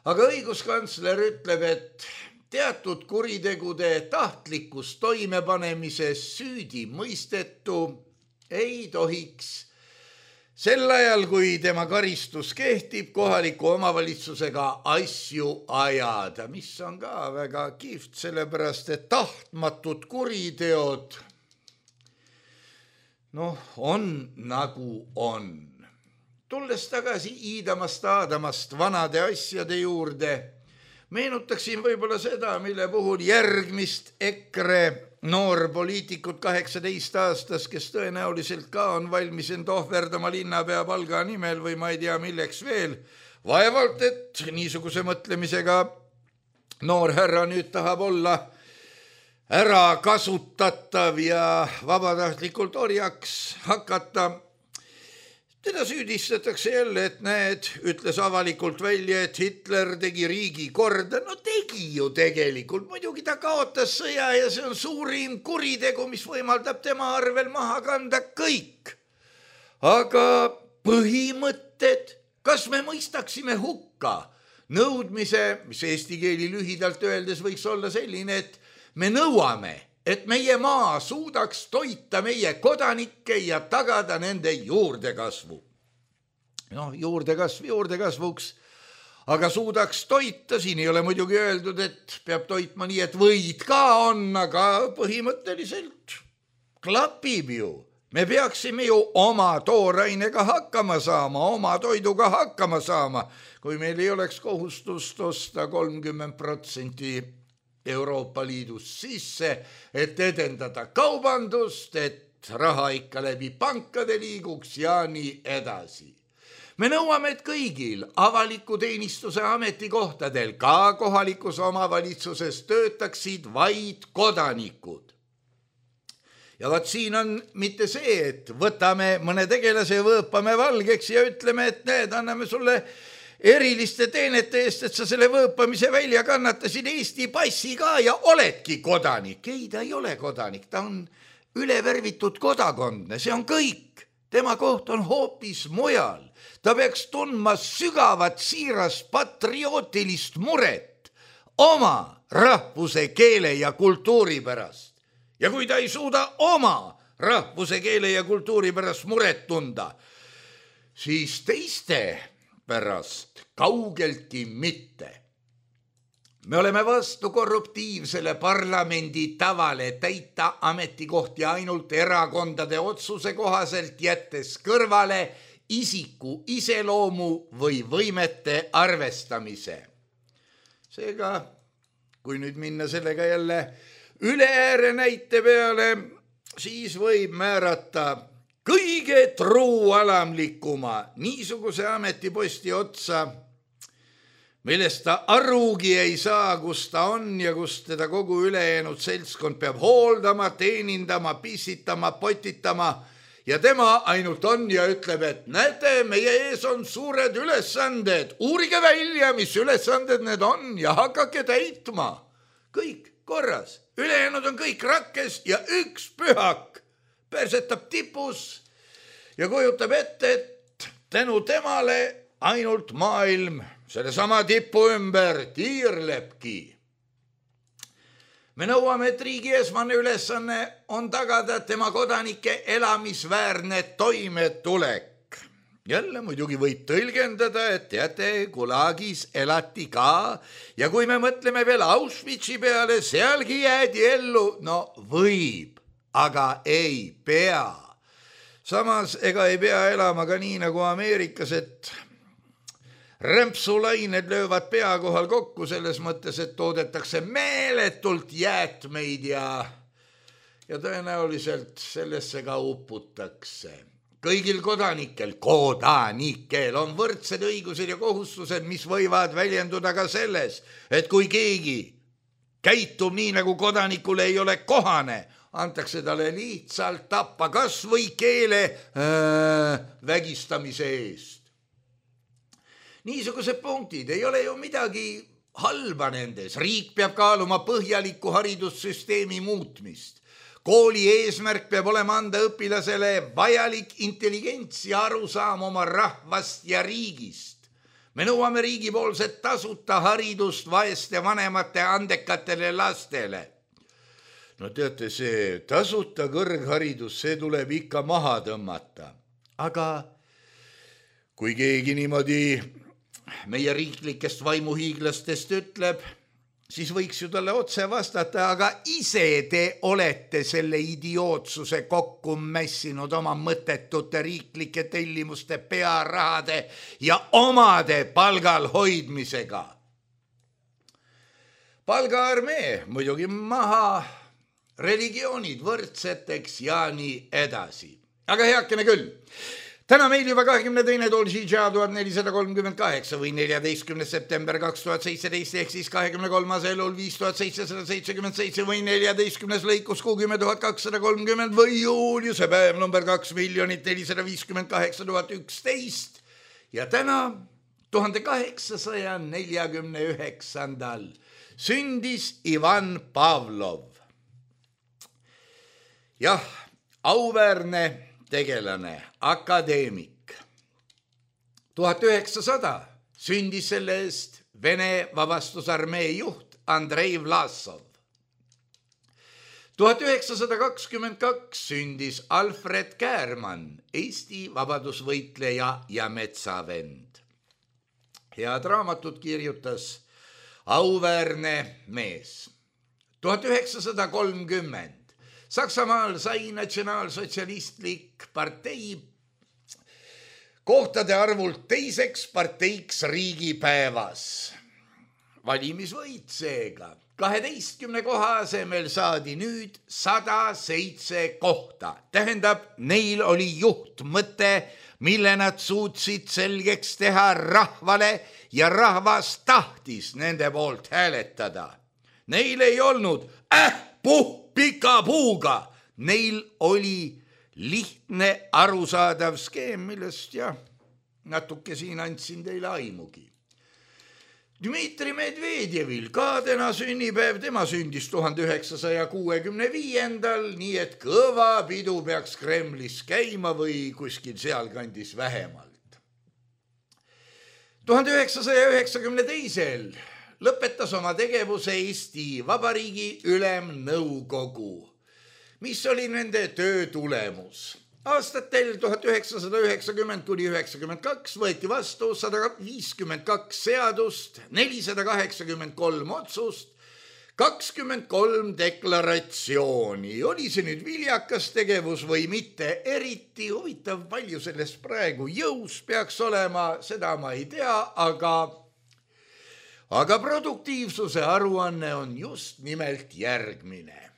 Aga õiguskantsler ütleb, et teatud kuritegude tahtlikus toimepanemises süüdi mõistetu ei tohiks sel ajal, kui tema karistus kehtib, kohaliku omavalitsusega asju ajada, mis on ka väga kihvt, sellepärast et tahtmatud kuriteod noh, on nagu on. Tulles tagasi iidamast aadamast vanade asjade juurde, meenutaksin võib-olla seda, mille puhul järgmist EKRE noorpoliitikut kaheksateist aastas, kes tõenäoliselt ka on valmis end ohverdama linnapea palga nimel või ma ei tea milleks veel, vaevalt, et niisuguse mõtlemisega noor härra nüüd tahab olla ära kasutatav ja vabatahtlikult orjaks hakata. Teda süüdistatakse jälle, et näed, ütles avalikult välja, et Hitler tegi riigi korda. No tegi ju tegelikult, muidugi ta kaotas sõja ja see on suurim kuritegu, mis võimaldab tema arvel maha kanda kõik. Aga põhimõtted, kas me mõistaksime hukka nõudmise, mis eesti keeli lühidalt öeldes võiks olla selline, et me nõuame, et meie maa suudaks toita meie kodanikke ja tagada nende juurdekasvu. Noh, juurdekasv juurdekasvuks, aga suudaks toita, siin ei ole muidugi öeldud, et peab toitma nii, et võid ka on, aga põhimõtteliselt klapib ju. Me peaksime ju oma toorainega hakkama saama, oma toiduga hakkama saama, kui meil ei oleks kohustust osta kolmkümmend protsenti Euroopa Liidus sisse, et edendada kaubandust, et raha ikka läbi pankade liiguks ja nii edasi. Me nõuame, et kõigil avaliku teenistuse ametikohtadel, ka kohalikus omavalitsuses töötaksid vaid kodanikud. Ja vaat siin on mitte see, et võtame mõne tegelase ja võõpame valgeks ja ütleme, et need anname sulle eriliste teenete eest, et sa selle võõpamise välja kannatasid Eesti passi ka ja oledki kodanik. Ei, ta ei ole kodanik, ta on ülevärvitud kodakondne, see on kõik. Tema koht on hoopis mujal. Ta peaks tundma sügavat siirast patriootilist muret oma rahvuse, keele ja kultuuri pärast. Ja kui ta ei suuda oma rahvuse, keele ja kultuuri pärast muret tunda, siis teiste pärast kaugeltki mitte. Me oleme vastu korruptiivsele parlamendi tavale täita ametikohti ainult erakondade otsuse kohaselt, jättes kõrvale isiku iseloomu või võimete arvestamise. Seega, kui nüüd minna sellega jälle üle ääre näite peale, siis võib määrata kõige truualamlikuma niisuguse ametiposti otsa, millest ta arugi ei saa, kus ta on ja kus teda kogu ülejäänud seltskond peab hooldama, teenindama, pissitama, potitama ja tema ainult on ja ütleb, et näete, meie ees on suured ülesanded, uurige välja, mis ülesanded need on ja hakake täitma. Kõik korras, ülejäänud on kõik rakkes ja üks pühak persetab tipus ja kujutab ette, et tänu temale ainult maailm selle sama tipu ümber tiirlepki. me nõuame, et riigi esmane ülesanne on tagada tema kodanike elamisväärne toimetulek. Jälle muidugi võib tõlgendada, et teate, Gulagis elati ka ja kui me mõtleme veel Auschwitzi peale, sealgi jäädi ellu, no võib, aga ei pea. Samas ega ei pea elama ka nii nagu Ameerikas, et rämpsulained löövad pea kohal kokku selles mõttes, et toodetakse meeletult jäätmeid ja, ja tõenäoliselt sellesse ka uputakse. Kõigil kodanikel, kodanikel on võrdsed õigused ja kohustused, mis võivad väljenduda ka selles, et kui keegi käitub nii, nagu kodanikule ei ole kohane, antakse talle lihtsalt tappa kas või keele äh, vägistamise eest. Niisugused punktid ei ole ju midagi halba nendes. Riik peab kaaluma põhjaliku haridussüsteemi muutmist. Kooli eesmärk peab olema anda õpilasele vajalik intelligents ja arusaam oma rahvast ja riigist. Me nõuame riigipoolset tasuta haridust vaeste vanemate andekatele lastele. No teate, see tasuta kõrgharidus, see tuleb ikka maha tõmmata. Aga kui keegi niimoodi meie riiklikest vaimuhiiglastest ütleb, siis võiks ju talle otse vastata, aga ise te olete selle idiootsuse kokku mässinud oma mõttetute riiklike tellimuste pearahade ja omade palgal hoidmisega. Palgaarmee muidugi maha, religioonid võrdseteks ja nii edasi. Aga heakene küll. Täna meil juba kahekümne teine Dolžidža tuhat nelisada kolmkümmend kaheksa või neljateistkümnes september kaks tuhat seitseteist ehk siis kahekümne kolmas elul viis tuhat seitsesada seitsekümmend seitse või neljateistkümnes lõikus kuuskümmend tuhat kakssada kolmkümmend või juuliuse päev number kaks miljonit nelisada viiskümmend kaheksa tuhat üksteist ja täna tuhande kaheksasaja neljakümne üheksandal sündis Ivan Pavlov. Jah, auväärne tegelane, akadeemik. tuhat üheksasada sündis selle eest Vene vabastusarmee juht Andrei Vlasov. tuhat üheksasada kakskümmend kaks sündis Alfred Käärmann, Eesti vabadusvõitleja ja metsavend. Head raamatut kirjutas auväärne mees. tuhat üheksasada kolmkümmend Saksamaal sai natsionaalsotsialistlik partei kohtade arvult teiseks parteiks riigipäevas. Valimisvõit seega. kaheteistkümne koha asemel saadi nüüd sada seitse kohta. Tähendab, neil oli juhtmõte, mille nad suutsid selgeks teha rahvale ja rahvas tahtis nende poolt hääletada. Neil ei olnud äh, puh, pika puuga. Neil oli lihtne arusaadav skeem, millest jah, natuke siin andsin teile aimugi. Dmitri Medvedjevil ka täna sünnipäev, tema sündis tuhande üheksasaja kuuekümne viiendal, nii et kõva pidu peaks Kremlis käima või kuskil sealkandis vähemalt. tuhande üheksasaja üheksakümne teisel lõpetas oma tegevuse Eesti Vabariigi Ülemnõukogu, mis oli nende töö tulemus. Aastatel tuhat üheksasada üheksakümmend kuni üheksakümmend kaks võeti vastu sada viiskümmend kaks seadust, nelisada kaheksakümmend kolm otsust, kakskümmend kolm deklaratsiooni. Oli see nüüd viljakas tegevus või mitte? Eriti huvitav, palju sellest praegu jõus peaks olema, seda ma ei tea, aga Aga produktiivsuse aruanne on just nimelt järgmine.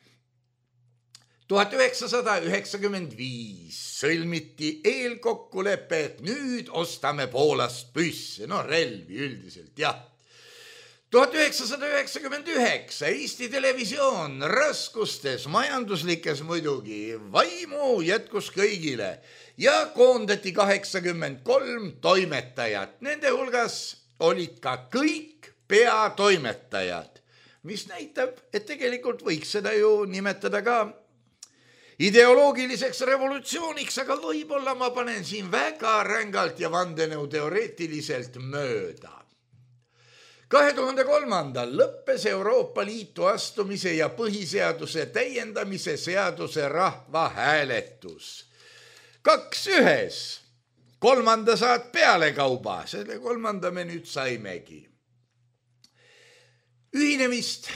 tuhat üheksasada üheksakümmend viis sõlmiti eelkokkulepe, et nüüd ostame Poolast püsse, no relvi üldiselt, jah. tuhat üheksasada üheksakümmend üheksa Eesti Televisioon raskustes, majanduslikes muidugi, vaimu jätkus kõigile ja koondati kaheksakümmend kolm toimetajat. Nende hulgas olid ka kõik peatoimetajad, mis näitab, et tegelikult võiks seda ju nimetada ka ideoloogiliseks revolutsiooniks, aga võib-olla ma panen siin väga rängalt ja vandenõuteoreetiliselt mööda. kahe tuhande kolmandal lõppes Euroopa Liitu astumise ja põhiseaduse täiendamise seaduse rahvahääletus. Kaks ühes, kolmanda saad pealekauba, selle kolmanda me nüüd saimegi. Ühinemist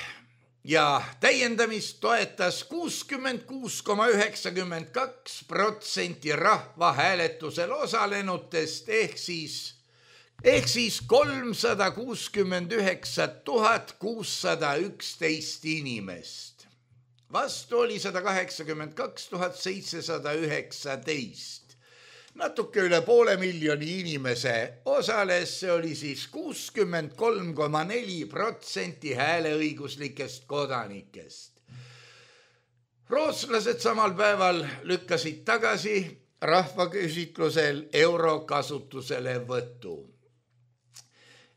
ja täiendamist toetas kuuskümmend kuus koma üheksakümmend kaks protsenti rahvahääletusel osalenutest ehk siis ehk siis kolmsada kuuskümmend üheksa tuhat kuussada üksteist inimest. Vastu oli sada kaheksakümmend kaks tuhat seitsesada üheksateist. Natuke üle poole miljoni inimese osales, see oli siis kuuskümmend kolm koma neli protsenti hääleõiguslikest kodanikest. Rootslased samal päeval lükkasid tagasi rahvaküsitlusel euro kasutusele võtu.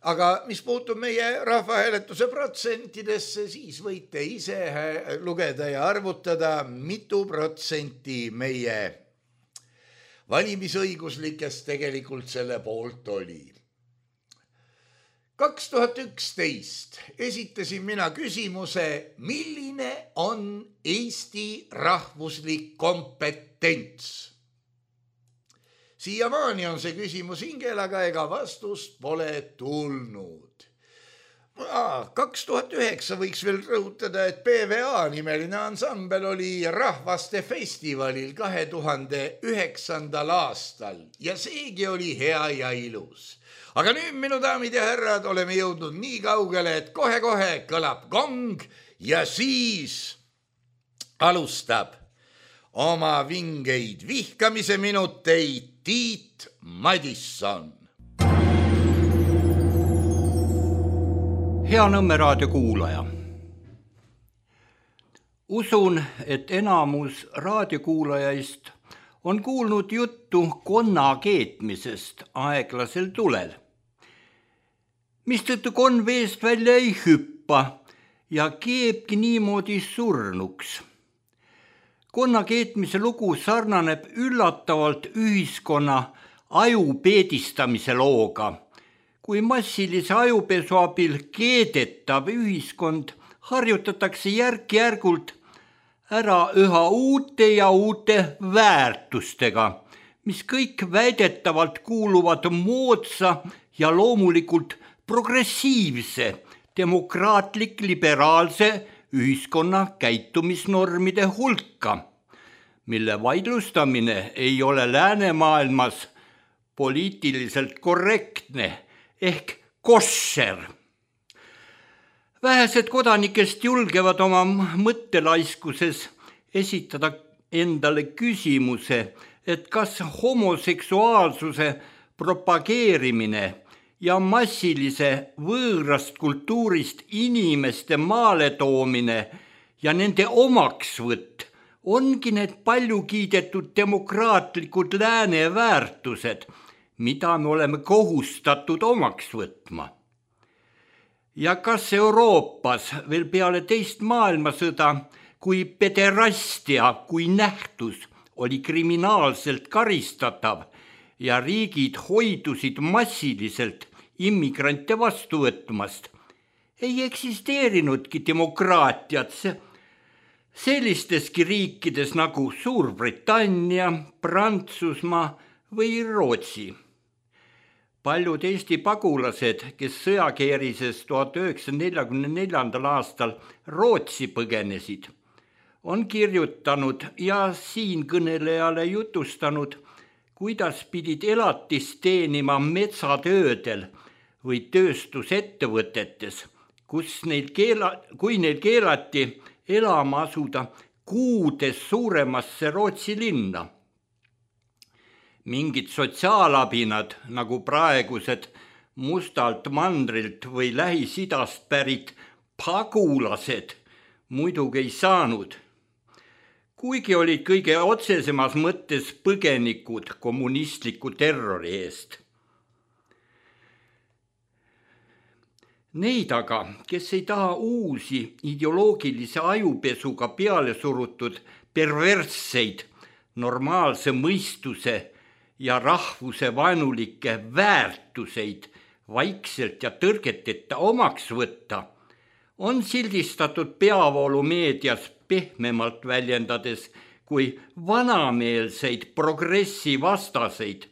Aga mis puutub meie rahvahääletuse protsentidesse, siis võite ise lugeda ja arvutada, mitu protsenti meie valimisõiguslikest tegelikult selle poolt oli. kaks tuhat üksteist esitasin mina küsimuse, milline on Eesti rahvuslik kompetents. Siiamaani on see küsimus hingel, aga ega vastust pole tulnud. kaks tuhat üheksa võiks veel rõhutada, et P V A nimeline ansambel oli Rahvaste festivalil kahe tuhande üheksandal aastal ja seegi oli hea ja ilus. Aga nüüd, minu daamid ja härrad, oleme jõudnud nii kaugele, et kohe-kohe kõlab gong ja siis alustab oma vingeid vihkamise minuteid Tiit Madisson. Hea Nõmme raadio kuulaja. Usun, et enamus raadiokuulajaist on kuulnud juttu konna keetmisest aeglasel tulel. Mistõttu konn veest välja ei hüppa ja keebki niimoodi surnuks. Konna keetmise lugu sarnaneb üllatavalt ühiskonna aju peedistamise looga, kui massilise ajupesu abil keedetav ühiskond harjutatakse järk-järgult ära üha uute ja uute väärtustega, mis kõik väidetavalt kuuluvad moodsa ja loomulikult progressiivse, demokraatlik, liberaalse ühiskonna käitumisnormide hulka, mille vaidlustamine ei ole läänemaailmas poliitiliselt korrektne ehk kosser. Vähesed kodanikest julgevad oma mõttelaiskuses esitada endale küsimuse, et kas homoseksuaalsuse propageerimine ja massilise võõrast kultuurist inimeste maale toomine ja nende omaksvõtt ongi need palju kiidetud demokraatlikud lääne väärtused, mida me oleme kohustatud omaks võtma. Ja kas Euroopas veel peale teist maailmasõda, kui pederastia kui nähtus oli kriminaalselt karistatav ja riigid hoidusid massiliselt immigrante vastu võtmast, ei eksisteerinudki demokraatiat sellisteski riikides nagu Suurbritannia, Prantsusmaa või Rootsi. Paljud Eesti pagulased, kes sõjakeerises tuhat üheksasada neljakümne neljandal aastal Rootsi põgenesid, on kirjutanud ja siinkõnelejale jutustanud, kuidas pidid elatist teenima metsatöödel või tööstusettevõtetes, kus neil keela, kui neil keelati elama asuda kuudes suuremasse Rootsi linna. Mingid sotsiaalabinad, nagu praegused mustalt mandrilt või Lähis-Idast pärit pagulased, muidugi ei saanud, kuigi olid kõige otsesemas mõttes põgenikud kommunistliku terrori eest. Neid aga, kes ei taha uusi ideoloogilise ajupesuga peale surutud perversseid, normaalse mõistuse ja rahvuse vaenulikke väärtuseid vaikselt ja tõrgeteta omaks võtta, on sildistatud peavoolumeedias pehmemalt väljendades kui vanameelseid progressi vastaseid,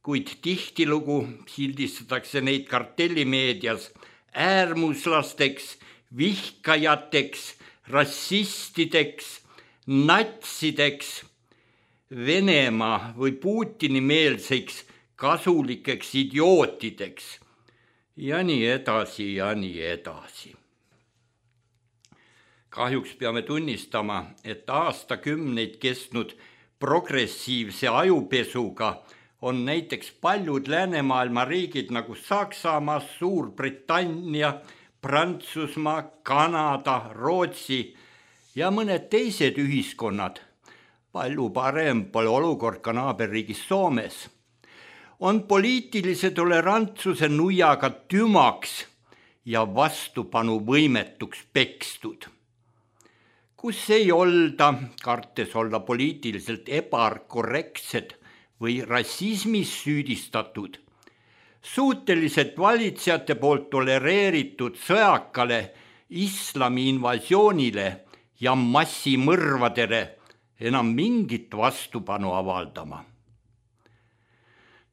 kuid tihtilugu sildistatakse neid kartellimeedias äärmuslasteks, vihkajateks, rassistideks, natsideks, Venemaa või Putini meelseks kasulikeks idiootideks ja nii edasi ja nii edasi. Kahjuks peame tunnistama, et aastakümneid kestnud progressiivse ajupesuga on näiteks paljud läänemaailma riigid nagu Saksamaa, Suurbritannia, Prantsusmaa, Kanada, Rootsi ja mõned teised ühiskonnad, palju parem pole olukord ka naaberriigis Soomes, on poliitilise tolerantsuse nuiaga tümaks ja vastupanu võimetuks pekstud. Kus ei olda, kartes olla poliitiliselt ebakorrektsed või rassismis süüdistatud, suuteliselt valitsejate poolt tolereeritud sõjakale islami invasioonile ja massimõrvadele enam mingit vastupanu avaldama.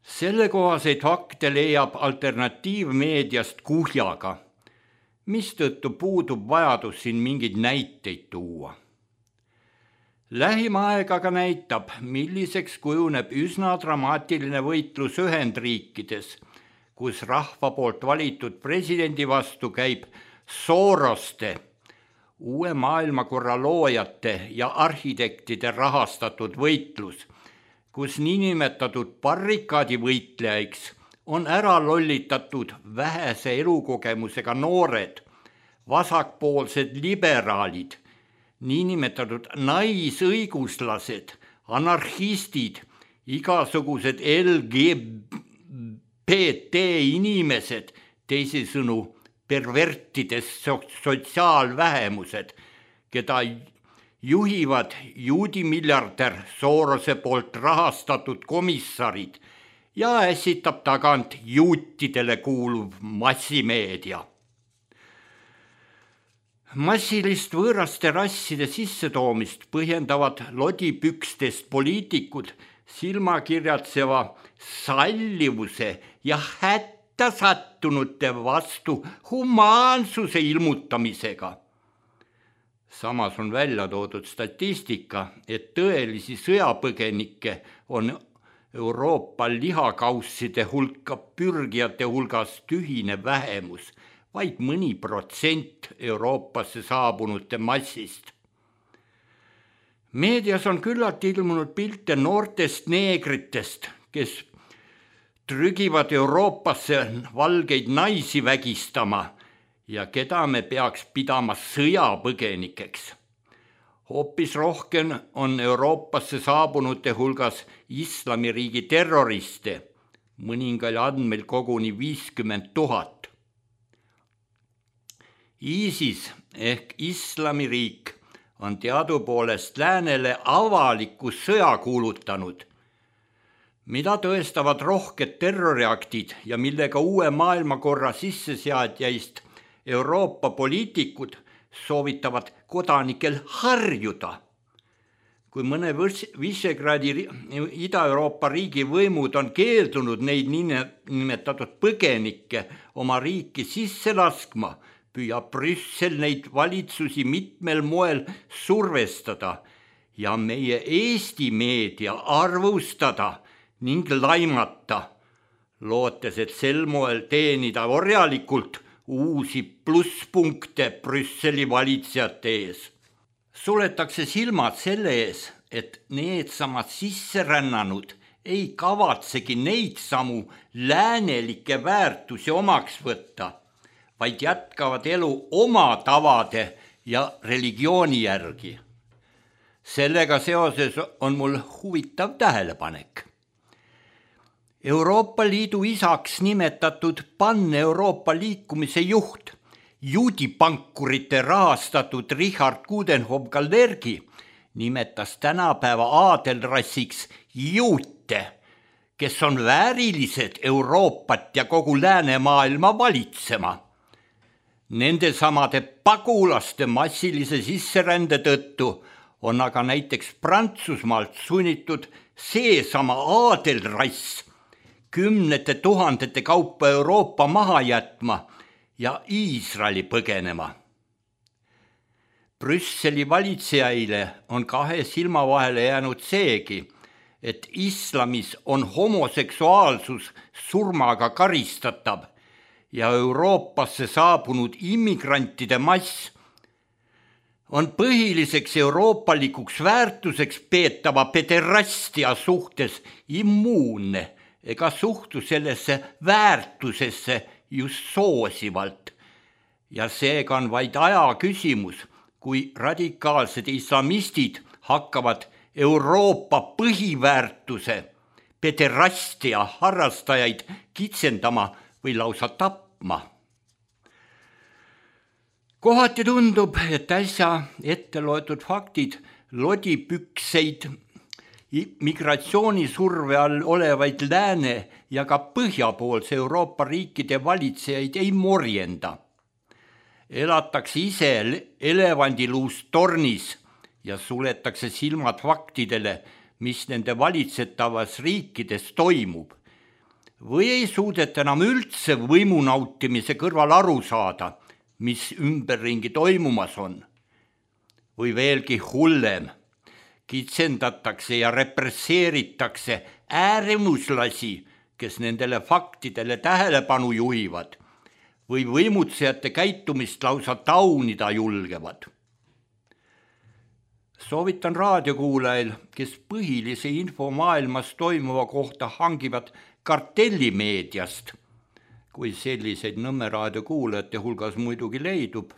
Sellekohaseid fakte leiab alternatiivmeediast kuhjaga, mistõttu puudub vajadus siin mingeid näiteid tuua. Lähima aeg aga näitab, milliseks kujuneb üsna dramaatiline võitlus Ühendriikides, kus rahva poolt valitud presidendi vastu käib Soroste, uue maailmakorra loojate ja arhitektide rahastatud võitlus, kus niinimetatud barrikaadivõitlejaiks on ära lollitatud vähese elukogemusega noored, vasakpoolsed liberaalid, niinimetatud naisõiguslased, anarhistid, igasugused L G B T inimesed, teisisõnu pervertides sotsiaalvähemused, keda juhivad juudimiljardär Sorose poolt rahastatud komissarid ja ässitab tagant juutidele kuuluv massimeedia. Massilist võõraste rasside sissetoomist põhjendavad lodipükstest poliitikud silmakirjatseva sallivuse ja hätta sattunute vastu humaansuse ilmutamisega. Samas on välja toodud statistika, et tõelisi sõjapõgenikke on Euroopa lihakausside hulka pürgijate hulgas tühine vähemus, vaid mõni protsent Euroopasse saabunute massist. Meedias on küllalt ilmunud pilte noortest neegritest, kes trügivad Euroopasse valgeid naisi vägistama ja keda me peaks pidama sõjapõgenikeks. Hoopis rohkem on Euroopasse saabunute hulgas islamiriigi terroriste, mõningal andmel koguni viiskümmend tuhat. ISIS ehk islamiriik on teadupoolest läänele avaliku sõja kuulutanud, mida tõestavad rohked terroriaktid ja millega uue maailmakorra sisseseadjaist Euroopa poliitikud soovitavad kodanikel harjuda. Kui mõne Visegradi Ida-Euroopa riigi võimud on keeldunud neid nimetatud põgenikke oma riiki sisse laskma, püüab Brüssel neid valitsusi mitmel moel survestada ja meie Eesti meedia arvustada ning laimata, lootes, et sel moel teenida orjalikult uusi plusspunkte Brüsseli valitsejate ees. Suletakse silmad selle ees, et needsamad sisserännanud ei kavatsegi neid samu läänelikke väärtusi omaks võtta, vaid jätkavad elu oma tavade ja religiooni järgi. Sellega seoses on mul huvitav tähelepanek. Euroopa Liidu isaks nimetatud Pan-Euroopa liikumise juht, juudipankurite rahastatud Richard Coudenhove-Gallergi nimetas tänapäeva aadelrassiks juute, kes on väärilised Euroopat ja kogu läänemaailma valitsema. Nende samade pagulaste massilise sisserände tõttu on aga näiteks Prantsusmaalt sunnitud seesama aadelrass kümnete tuhandete kaupa Euroopa maha jätma ja Iisraeli põgenema. Brüsseli valitsejaile on kahe silma vahele jäänud seegi, et islamis on homoseksuaalsus surmaga karistatav ja Euroopasse saabunud immigrantide mass on põhiliseks euroopalikuks väärtuseks peetava pederastia suhtes immuunne ega suhtu sellesse väärtusesse just soosivalt. Ja seega on vaid aja küsimus, kui radikaalsed islamistid hakkavad Euroopa põhiväärtuse pederastia harrastajaid kitsendama või lausa tapma. Kohati tundub, et äsja ette loetud faktid lodipükseid migratsioonisurve all olevaid lääne ja ka põhjapoolse Euroopa riikide valitsejaid ei morjenda. Elatakse ise elevandiluust tornis ja suletakse silmad faktidele, mis nende valitsetavas riikides toimub. Või ei suudeta enam üldse võimu nautimise kõrval aru saada, mis ümberringi toimumas on. Või veelgi hullem, kitsendatakse ja represseeritakse ääremuslasi, kes nendele faktidele tähelepanu juhivad või võimutsejate käitumist lausa taunida julgevad. Soovitan raadiokuulajail, kes põhilise info maailmas toimuva kohta hangivad kartellimeediast, kui selliseid Nõmme raadiokuulajate hulgas muidugi leidub,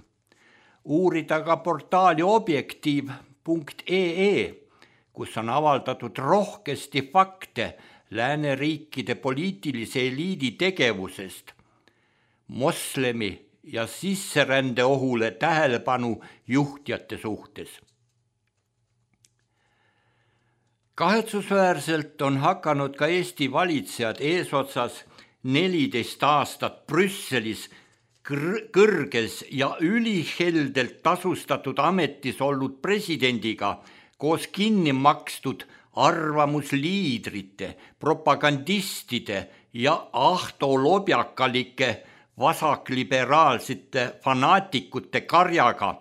uurida ka portaali objektiiv punkt ee, kus on avaldatud rohkesti fakte lääneriikide poliitilise eliidi tegevusest, moslemi ja sisserände ohule tähelepanu juhtjate suhtes. Kahetsusväärselt on hakanud ka Eesti valitsejad eesotsas neliteist aastat Brüsselis kõrges ja üliheldelt tasustatud ametis olnud presidendiga koos kinni makstud arvamusliidrite, propagandistide ja ahtolobjakalike vasakliberaalsete fanaatikute karjaga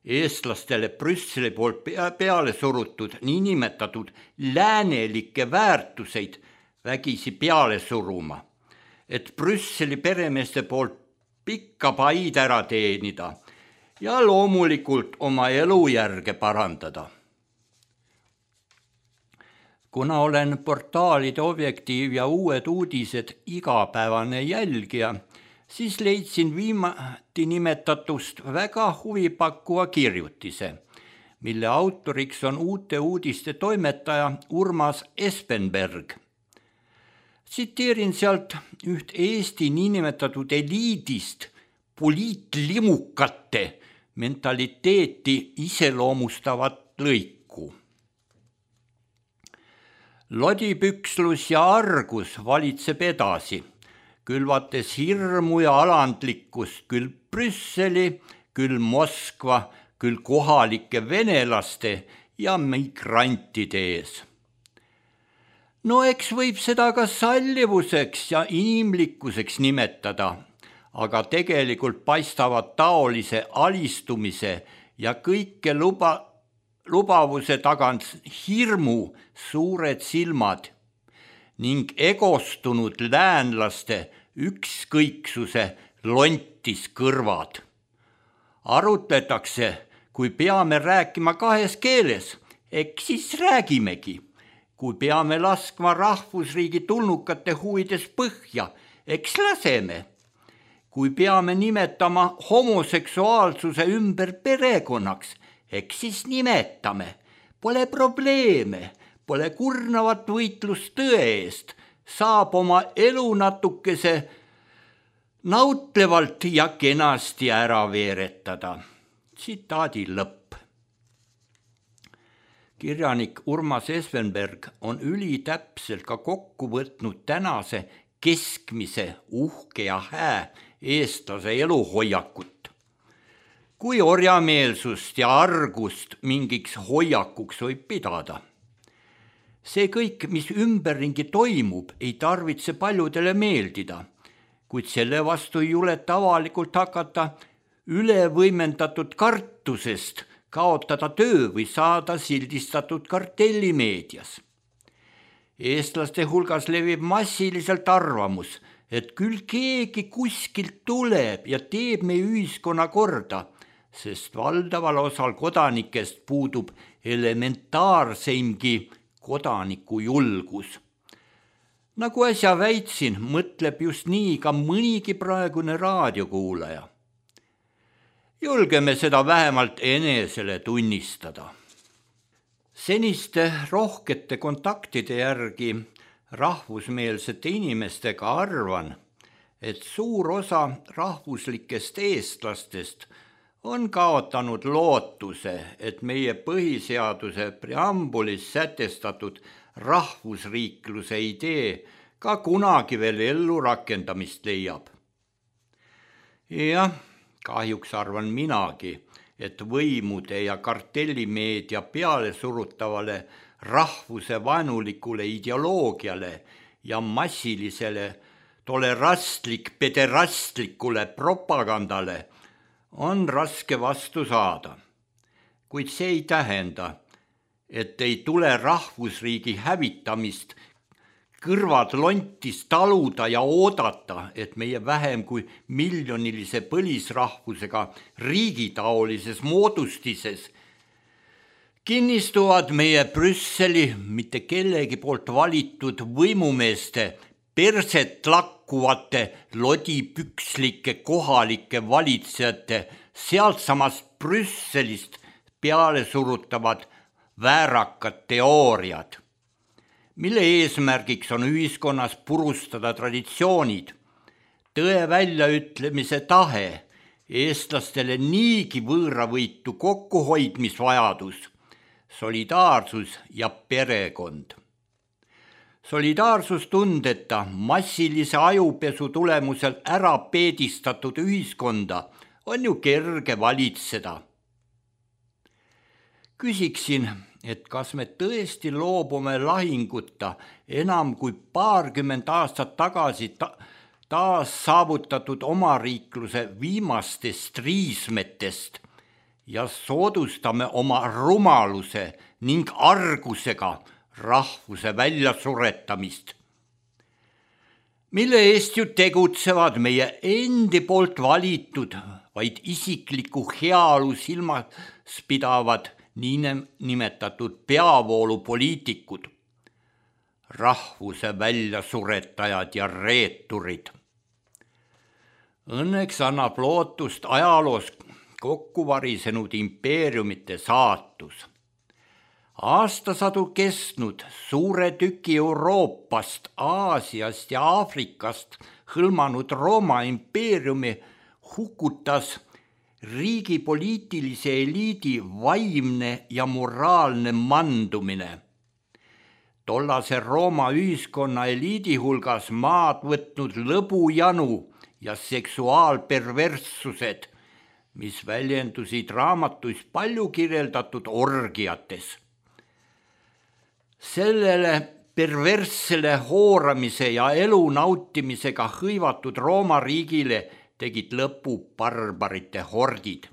eestlastele Brüsseli poolt peale surutud niinimetatud läänelikke väärtuseid vägisi peale suruma, et Brüsseli peremeeste poolt pikka paid ära teenida ja loomulikult oma elujärge parandada. Kuna olen portaalide Objektiiv ja Uued uudised igapäevane jälgija, siis leidsin viimati nimetatust väga huvipakkuva kirjutise, mille autoriks on Uute uudiste toimetaja Urmas Espenberg. Tsiteerin sealt üht Eesti niinimetatud eliidist poliitlimukate mentaliteeti iseloomustavat lõiku. Lodipükslus ja argus valitseb edasi, külvates hirmu ja alandlikkust küll Brüsseli, küll Moskva, küll kohalike venelaste ja migrantide ees. No eks võib seda ka sallivuseks ja inimlikkuseks nimetada, aga tegelikult paistavad taolise alistumise ja kõike luba, lubavuse tagant hirmu suured silmad ning egostunud läänlaste ükskõiksuse lontis kõrvad. Arutletakse, kui peame rääkima kahes keeles, eks siis räägimegi. Kui peame laskma rahvusriigi tulnukate huvides põhja, eks laseme. Kui peame nimetama homoseksuaalsuse ümber perekonnaks, eks siis nimetame. Pole probleeme. Pole kurnavat võitlust tõe eest, saab oma elu natukese nautlevalt ja kenasti ära veeretada. Tsitaadi lõpp. Kirjanik Urmas Esvenberg on ülitäpselt ka kokku võtnud tänase keskmise uhke ja hää eestlase eluhoiakut. Kui orjameelsust ja argust mingiks hoiakuks võib pidada. See kõik, mis ümberringi toimub, ei tarvitse paljudele meeldida, kuid selle vastu ei juleta avalikult hakata ülevõimendatud kartusest kaotada töö või saada sildistatud kartellimeedias. Eestlaste hulgas levib massiliselt arvamus, et küll keegi kuskilt tuleb ja teeb meie ühiskonna korda, sest valdaval osal kodanikest puudub elementaarseimgi kodaniku julgus. Nagu äsja väitsin, mõtleb just nii ka mõnigi praegune raadiokuulaja. Julgeme seda vähemalt enesele tunnistada. Seniste rohkete kontaktide järgi rahvusmeelsete inimestega arvan, et suur osa rahvuslikest eestlastest on kaotanud lootuse, et meie põhiseaduse preambulis sätestatud rahvusriikluse idee ka kunagi veel ellu rakendamist leiab. Jah, kahjuks arvan minagi, et võimude ja kartellimeedia peale surutavale rahvuse vaenulikule ideoloogiale ja massilisele tolerastlik pederastlikule propagandale on raske vastu saada, kuid see ei tähenda, et ei tule rahvusriigi hävitamist kõrvad lontis taluda ja oodata, et meie vähem kui miljonilise põlisrahvusega riigitaolises moodustises kinnistuvad meie Brüsseli mitte kellegi poolt valitud võimumeeste perset lakkuvate lodipükslike kohalike valitsejate sealtsamast Brüsselist peale surutavad väärakad teooriad, mille eesmärgiks on ühiskonnas purustada traditsioonid, tõe väljaütlemise tahe, eestlastele niigi võõravõitu kokkuhoidmisvajadus, solidaarsus ja perekond. Solidaarsustundeta massilise ajupesu tulemusel ära peedistatud ühiskonda on ju kerge valitseda. Küsiksin, et kas me tõesti loobume lahinguta enam kui paarkümmend aastat tagasi ta- taas saavutatud omariikluse viimastest riismetest ja soodustame oma rumaluse ning argusega rahvuse väljasuretamist, mille eest ju tegutsevad meie endi poolt valitud, vaid isikliku heaolu silmas pidavad niinimetatud peavoolupoliitikud, rahvuse väljasuretajad ja reeturid. Õnneks annab lootust ajaloos kokkuvarisenud impeeriumite saatus. Aastasadu kestnud suure tüki Euroopast, Aasiast ja Aafrikast hõlmanud Rooma impeeriumi hukutas riigi poliitilise eliidi vaimne ja moraalne mandumine. Tollase Rooma ühiskonna eliidi hulgas maad võtnud lõbujanu ja seksuaalperverssused, mis väljendusid raamatus palju kirjeldatud orgiates. Sellele perverssele hooramise ja elu nautimisega hõivatud Rooma riigile tegid lõpu barbarite hordid.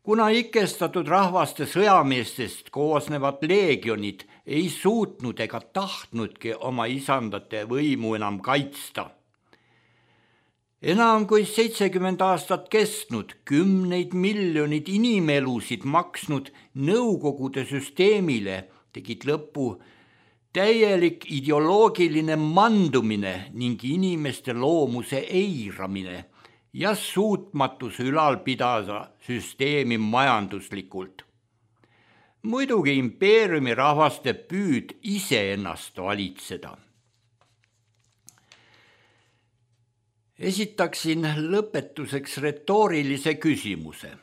Kuna ikestatud rahvaste sõjameestest koosnevad leegionid ei suutnud ega tahtnudki oma isandate võimu enam kaitsta. Enam kui seitsekümmend aastat kestnud, kümneid miljonid inimelusid maksnud Nõukogude süsteemile tegid lõpu täielik ideoloogiline mandumine ning inimeste loomuse eiramine ja suutmatus ülal pidada süsteemi majanduslikult. Muidugi impeeriumi rahvaste püüd iseennast valitseda. Esitaksin lõpetuseks retoorilise küsimuse.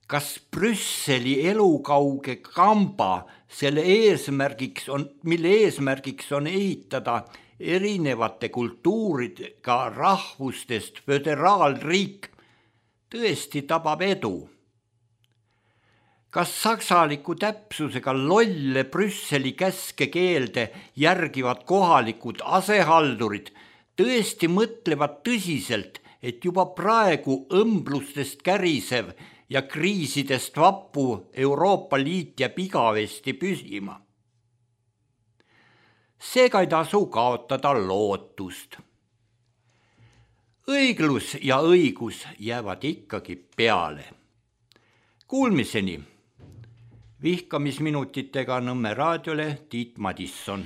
Kas Brüsseli elukauge kamba, selle eesmärgiks on, mille eesmärgiks on ehitada erinevate kultuuridega rahvustest föderaalriik, tõesti tabab edu? Kas saksaliku täpsusega lolle Brüsseli käske keelde järgivad kohalikud asehaldurid tõesti mõtlevad tõsiselt, et juba praegu õmblustest kärisev ja kriisidest vappu Euroopa Liit jääb igavesti püsima? Seega ei tasu kaotada lootust. Õiglus ja õigus jäävad ikkagi peale. Kuulmiseni. Vihkamisminutitega Nõmme raadiole Tiit Madisson.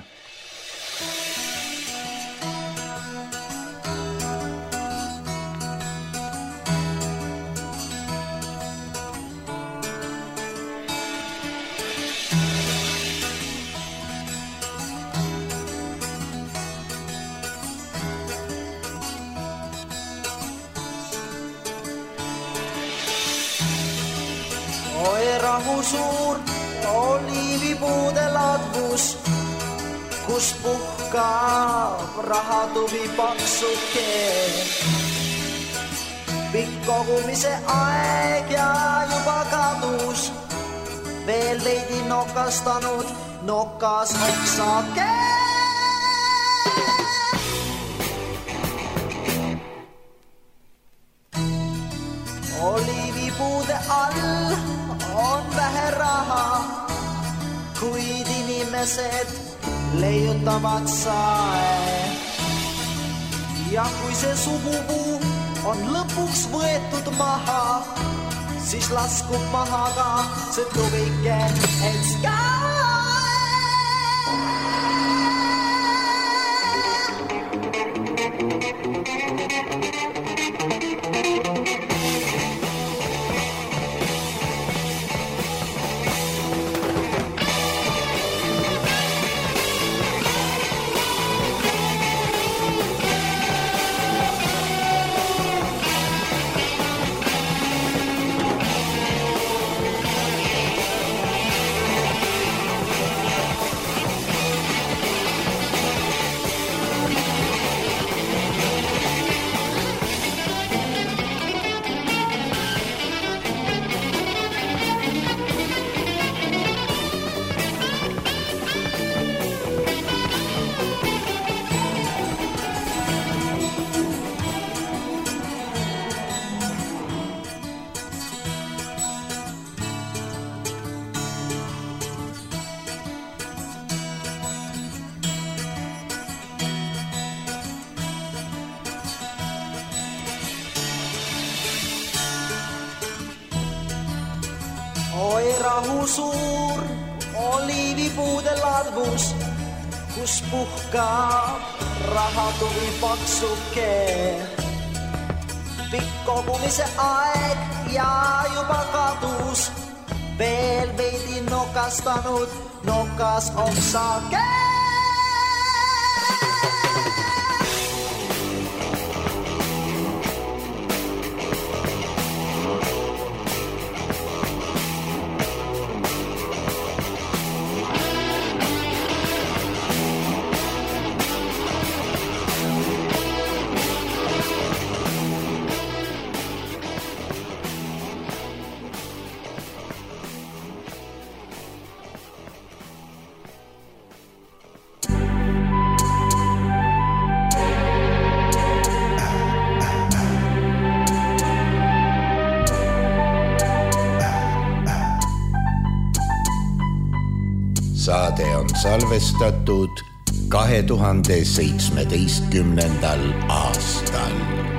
Rahu suur oliivipuude ladvus, kus puhkab rahatuvi paksuke. Pikk kogumise aeg ja juba kadus, veel veidi nokastanud nokas oksake. Oliivipuude all on vähe raha, kuid inimesed leiutavad sae. Ja kui see sugupuu on lõpuks võetud maha, siis laskub maha ka see tuvike etska. Oi rahu suur oliivipuude ladvus, kus puhkab rahatuvi paksuke. Pikk kogumise aeg ja juba kadus, veel veidi nokastanud nokas oksake. Saade on salvestatud kahe tuhande seitsmeteistkümnendal aastal.